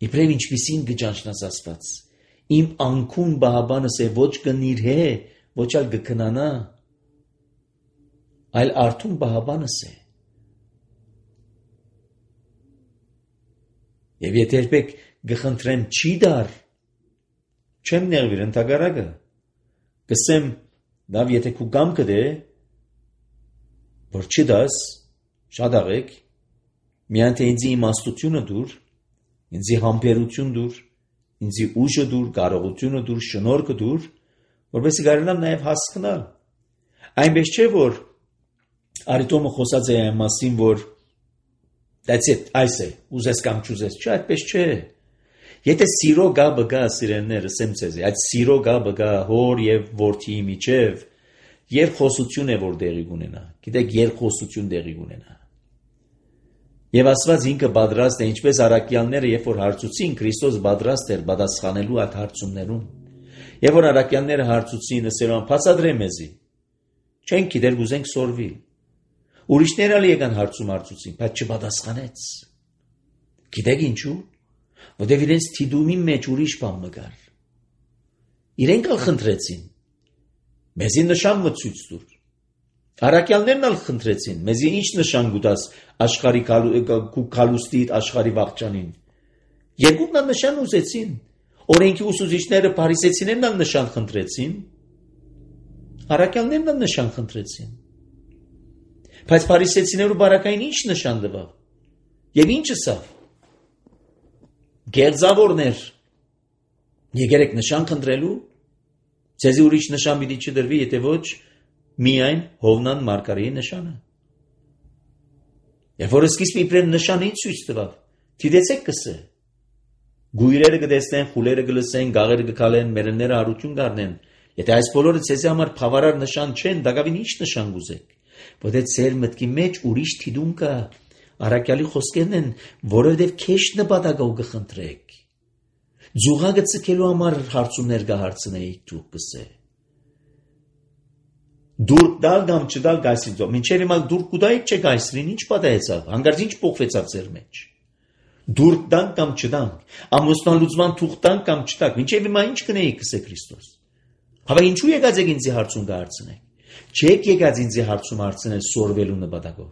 Իբրև ինչպիսին կճանչնաս Աստված։ Իմ անկուն բահաբանս է, ոչ կնիրհե, ոչ ալ կքնանա, այլ արթուն բահաբանս է։ Եվ եթե երբեք կխնդրեմ չի դար, չեմ նեղվիր ընդհակառակը, կսեմ, լավ, եթե քու կամքը դե, որ չդաս, շատ աղեք, միայն թե ինձի իմաստությունը դուր, ինձի համբերություն դուր, ինձի ուժը դուր, կարողությունը դուր, շնորհքը դուր, որպեսզի կարողանամ նաև հասկանալ։ Այնպես չէ, որ Արիտոմը խոսած է այն մասին, որ That's it, այս է, ուզես կամ չուզես, չէ, այդպես չէ։ Եթե սիրո գաբը գա, սիրելիներ, ասեմ ձեզ, այդ սիրո գաբը գա հոր եւ որդիի միջև, երկխոսություն է, որ դեղի կունենա։ Գիտեք, երկխոսություն դեղի կունենա։ Եվ Աստված ինքը պատրաստ է, ինչպես առաքյալները, երբ որ հարցուցին, Քրիստոս պատրաստ էր պատասխանելու այդ հարցումներուն։ Երբ որ առաքյալները հարցուցին, ասելով, «Բացատրե մեզի»։ Չենք գիտեր գուզենք սորվի։ Ուրիշները ալ եկան հարցում հարցուցին, բայց չպատասխանեց։ Գիտեք ինչու՞։ Որտեղ իրենց թիդումի մեջ ուրիշ բան մգար։ Իրենք ալ խնդրեցին։ Մեզի նշան մցույց տուր։ Առաքյալներն ալ խնդրեցին, մեզի ինչ նշան գուտաս աշխարհի կալուստի աշխարհի վաղճանին։ Երկուքն ալ նշան ուզեցին։ Օրենքի ուսուցիչները փարիսեցիներն ալ նշան խնդրեցին։ Առաքյալներն ալ նշան խնդրեցին։ Բայց փարիսեցիներու բարակային ինչ նշան տվավ։ Եվ ինչ ասավ։ Գերձավորներ։ Եկերեք նշան խնդրելու։ Ձեզի ուրիշ նշան պիտի չդրվի, եթե ոչ միայն Հովնան Մարգարեի նշանը։ Երբ որ սկիզբ իբրև նշանի ցույց տվավ, դիտեցեք կսե։ Գույրերը կտեսնեն, խուլերը կլսեն, գաղերը կքալեն, մերենները հարություն կառնեն։ Եթե այս բոլորը ցեզի համար բավարար նշան չեն, դակավին ինչ նշան գուզեք։ Որտե ծեր մտքի մեջ ուրիշ թիդում կա, առաքյալի խոսքերն են, որովհետև քեշ նպատակով կխնդրեք։ Ձուղակը ցկելու համար հարցումներ կհարցնեիք դուք կսե։ Դուրք դալ կամ չդալ գայսրիցով, մինչև հիմա դուրք կուտայիք չէ գայսրին, ինչ պատահեցավ, հանգարց ինչ փոխվեցավ ձեր մեջ։ Դուրք դան կամ չդանք, ամուսնալուծման թուղթ տանք կամ չտանք, մինչև հիմա ինչ կնեիք կսե Քրիստոս։ Հավա ինչու եկած եք ինձի հարցում կհարցնեք։ Չեք եկած ինձի հարցում հարցնել սորվելու նպատակով։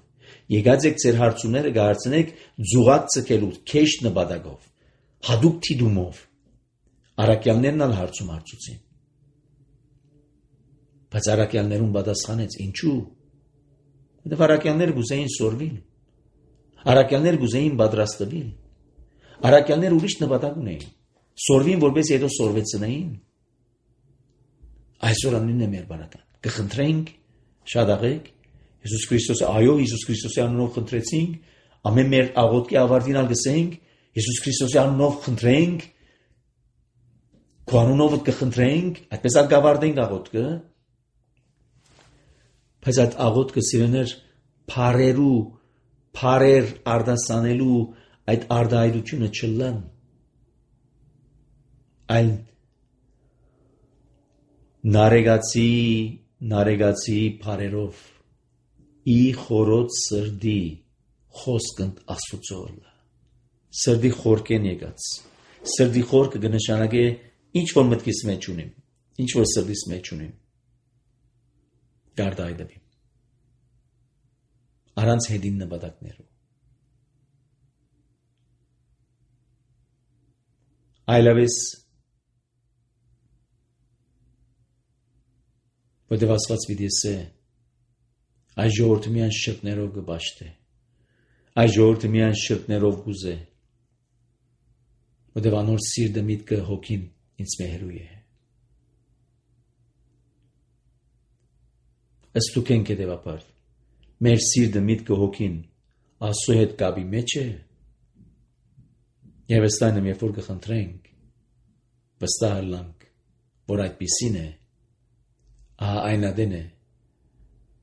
Եկած եք ձեր հարցումները կհարցնեք ձուղակ ցկելու քեշ նպատակով, հadoop թիդումով։ Առաքյալներն ալ հարցում հարցուցին։ Բայց առաքյալներուն պատասխանեց, ինչու։ Որտեղ առաքյալները գուզեին սորվիլ։ Առաքյալները գուզեին պատրաստվել։ Առաքյալները ուրիշ նպատակ ունեին։ Սորվին, որպես հետո սորվեցնային։ Այսօր անունն է մեր բարական։ Կխնդրենք, շադաղեք, Հիսուս Քրիստոսը, այո, Հիսուս Քրիստոսի անունով խնդրեցինք, ամեն մեր աղոթքի ավարտին ալ գսենք, Հիսուս Քրիստոսի անունով խնդրենք, քո անունով կխնդրենք, այդպես ալ գավարտենք աղոթքը։ Բայց այդ աղոթքը սիրեներ փարերու, փարեր արդասանելու այդ արդայությունը չլան։ Այլ նարեգացի, նարեգացի փարերով ի խորոց սրդի խոսքն Աստուծոյ։ Սրդի խորքեն եկած։ Սրդի խորքը կնշանակե ինչ որ մտքիս մեջ ունիմ, ինչ որ սրդիս մեջ ունիմ։ Գարդայդები։ Առանց հետին նպատակներով։ Այլևս որտև Աստված պիտի ասե, այս ժողովուրդը միայն շրթներով կբաշխտե, այս ժողովուրդը միայն շրթներով կուզե, որտև անոր սիրտը միտքը հոգին ինձ մեհերու է։ Ըստ դուքենք հետևաբար, մեր սիրտը միտքը հոգին Աստծո հետ կապի մեջ է, եւ ըստ այնմ երբ որ կխնդրենք, վստահ ըլլանք, որ այդպիսին է, ահա այն ադեն է,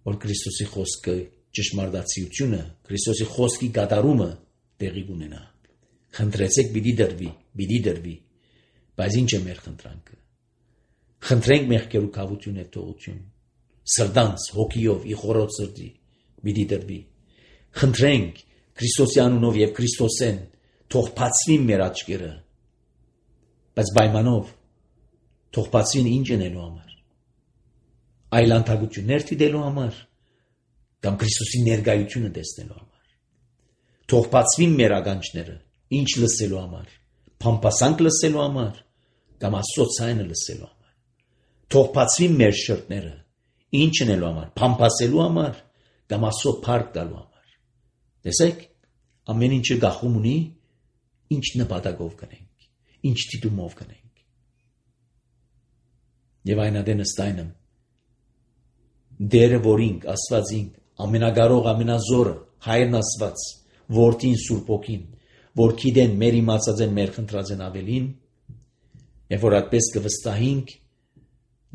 որ Քրիստոսի խոսքը ճշմարտացիությունը, Քրիստոսի խոսքի կատարումը տեղի կունենա։ Խնդրեցեք պիտի դրվի, պիտի դրվի, բայց ինչ է մեր խնդրանքը։ Խնդրենք մեղքերու կավություն եւ թողություն, սրտանց հոգիով ի խորոց սրտի պիտի դրվի։ Խնդրենք Քրիստոսի անունով եւ Քրիստոսեն թող բացվին մեր աչքերը, բայց պայմանով թող բացվին ինչ անելու համար։ Այլ անտագություններ դիտելու համար կամ Քրիստոսի ներկայությունը տեսնելու համար։ Թող բացվին մեր ականջները, ինչ լսելու համար, փամփասանք լսելու համար կամ Աստծո ցայնը լսելու համար։ Թող բացվին մեր շրթները, ինչ անելու համար, փամփասելու համար կամ Աստծո փառք տալու համար։ Տեսեք, ամեն ինչը գախում ունի, ինչ նպատակով կնենք, ինչ դիտումով կնենք։ Եվ այն ադեն ըստայնը դերը որինք, Աստվածինք, ամենագարող, ամենազորը, Հայրն Աստված, որդին Սուրբ Հոգին, որ գիտեն մեր իմացած են, մեր խնդրած են ավելին, եւ որ այդպես կվստահենք,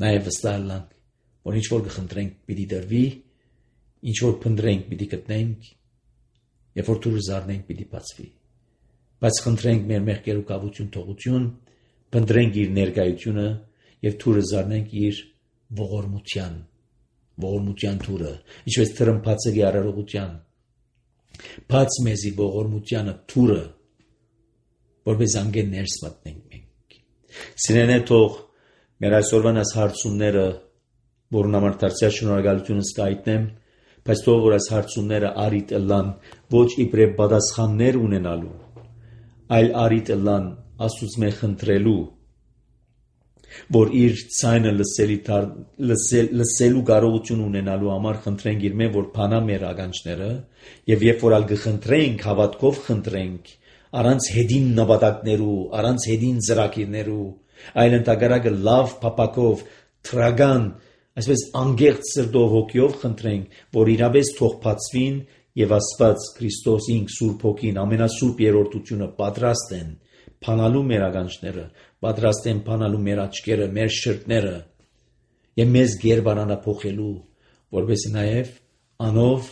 նաեւ վստահ լանք, որ ինչ որ կխնդրենք պիտի դրվի, ինչ որ փնտրենք պիտի գտնենք, եւ որ դուրս զարնենք պիտի բացվի։ Բայց խնդրենք մեր մեղքերու կավություն թողություն, փնտրենք իր ներկայությունը եւ դուրս զարնենք իր ողորմության, ողորմության դուրը, ինչպես թրմփացելի արարողության։ Բաց մեզի ողորմությանը դուրը, որպես անգեն ներս մտնենք մենք։ Սիրենե թող մեր այսօրվան այս հարցումները, որն համար դարձյալ շնորհակալությունը սկայտնեմ, բայց թող որ այս հարցումները արիտ ըլլան ոչ իբրև պատասխաններ ունենալու, այլ արիտ ըլլան Աստծո խնդրելու, որ իր ցայնը լսելի լսել լսելու կարողություն ունենալու համար խնդրենք իր մե որ փանա մեր ականջները եւ երբ որ ալ կխնդրենք հավատքով խնդրենք առանց հետին նպատակներու առանց հետին ծրագիրներու այլ ընդհակառակը լավ փապակով թրագան այսպես անգերտ սրտով հոգիով խնդրենք որ իրապես թող բացվին եւ Աստված Քրիստոսին Սուրբ Հոգին ամենասուրբ երրորդությունը պատրաստ են փանալու մեր ականջները պատրաստ են փանալու մեր աչքերը մեր շրթները եւ մեզ գերբարանա փոխելու որպես նաեւ անով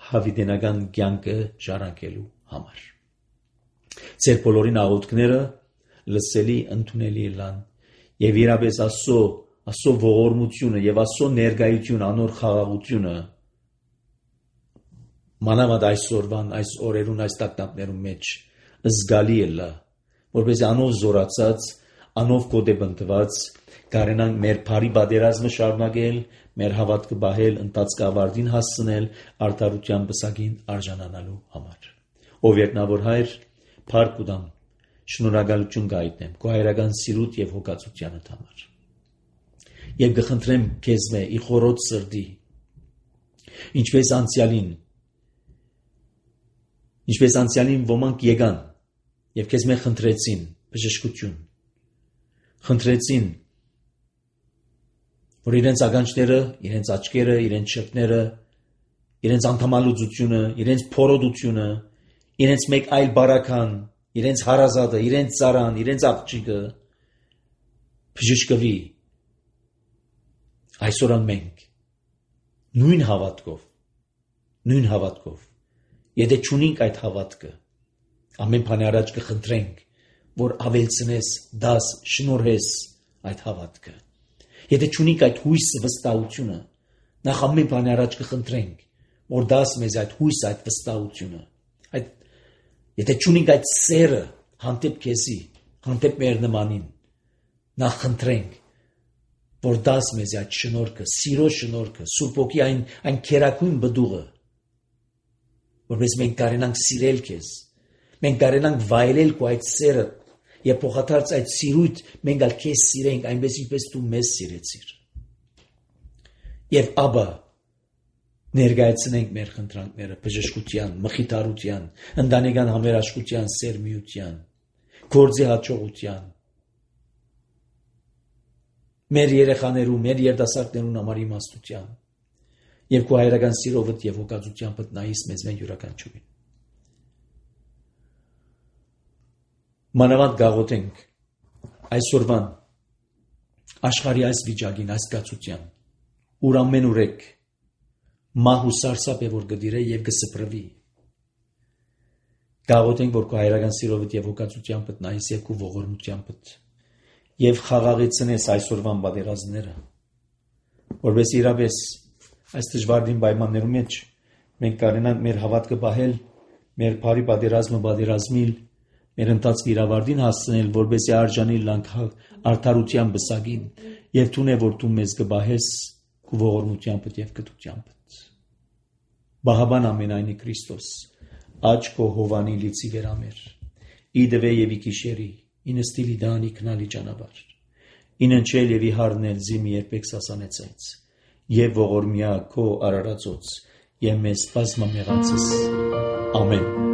հավիտենական կյանքը ժառանգելու համար ծեր բոլորին աղոթքները լսելի ընդունելի լան եւ իրապես Աստծո Աստծո ողորմությունը եւ Աստծո ներկայությունը անոր խաղաղությունը մանավանդ այսօրվան այս օրերուն այս տակտակներուն մեջ զգալի է լա որպես անով զորացած անով կոդեբնտված կարենանք մեր բարի բادرազմը շարունակել մեր հավատքը բահել ընտածկավարտին հասցնել արդարության բսակին արժանանալու համար ով երկնավոր հայր փառք ուտամ շնորհակալություն գայտնեմ քո հայրական սիրուտ եւ հոգացությանդ համար եւ գխնդրեմ քեզ մե ի խորոց սրտի ինչպես անցյալին ինչպես անցյալին ոմանք եկան եւ քեզ մե խնդրեցին բժշկություն խնդրեցին որ իրենց ականջները, իրենց աչքերը, իրենց շրթները, իրենց անդամալուծությունը, իրենց փորոդությունը, իրենց մեկ այլ բարական, իրենց հարազատը, իրենց ծառան, իրենց աղջիկը բժշկվի այսօր մենք նույն հավատքով նույն հավատքով եթե չունենք այդ հավատքը ամեն բանի առաջ կխնդրենք որ ավելցնես դաս շնորհես այդ հավատքը եթե չունենք այդ հույսը վստահությունը նախ ամեն բանի առաջ կխնդրենք որ դաս մեզ այդ հույսը այդ վստահությունը այդ եթե չունենք այդ սերը հանդեպ քեզի հանդեպ մեր նմանին նախ խնդրենք որ դաս մեզ այդ շնորհքը սիրո շնորհքը Սուրբ Հոգի այն այն քերակույն բդուղը որպես մենք կարենանք սիրել քեզ մենք կարենանք վայելել քո այդ սերը եւ փոխադարձ այդ սիրույթ մենք ալ քեզ սիրենք այնպես ինչպես դու մեզ սիրեցիր եւ աբա ներկայացնենք մեր խնդրանքները բժշկության մխիթարության ընտանեկան համերաշխության սերմիության գործի հաջողության մեր երեխաներու մեր երիտասարդներուն համար իմաստության եւ քո հայրական սիրովդ եւ հոգացությամբ նայիս մեզ մեն յուրաքանչյուրին մանավանդ գաղութենք այսօրվան աշխարհի այս վիճակին այս գացության ուր ամեն ուրեք մահ ու սարսափ է որ գդիրե եւ գսպրվի գաղութենք որ քո հայրական սիրովդ եւ հոգացությամբ նայիս եւ քո ողորմությամբ եւ խաղաղեցնես այսօրվան բادرազմները որպես իրապես այս դժվարին պայմաններում մեջ մենք կարենանք մեր հավատքը բահել մեր բարի բادرազմը բادرազմիլ մեր ընտածքի իրավարտին հասցնել որպեսզի արժանի լանք արդարության բսակին եւ թունե որ դու մեզ կբահես քո ողորմությամբ եւ գտությամբ բահաբան ամենայնի Քրիստոս աչ քո հովանի լիցի վերամեր իդվե եւ իքիշերի ինստիլի դանի քնալի ճանապարհ ինընչել եւ իհարնել զիմի երբեք սասանեցած եւ ողորմյա քո արարածոց եւ մեզ բազմամեղացես ամեն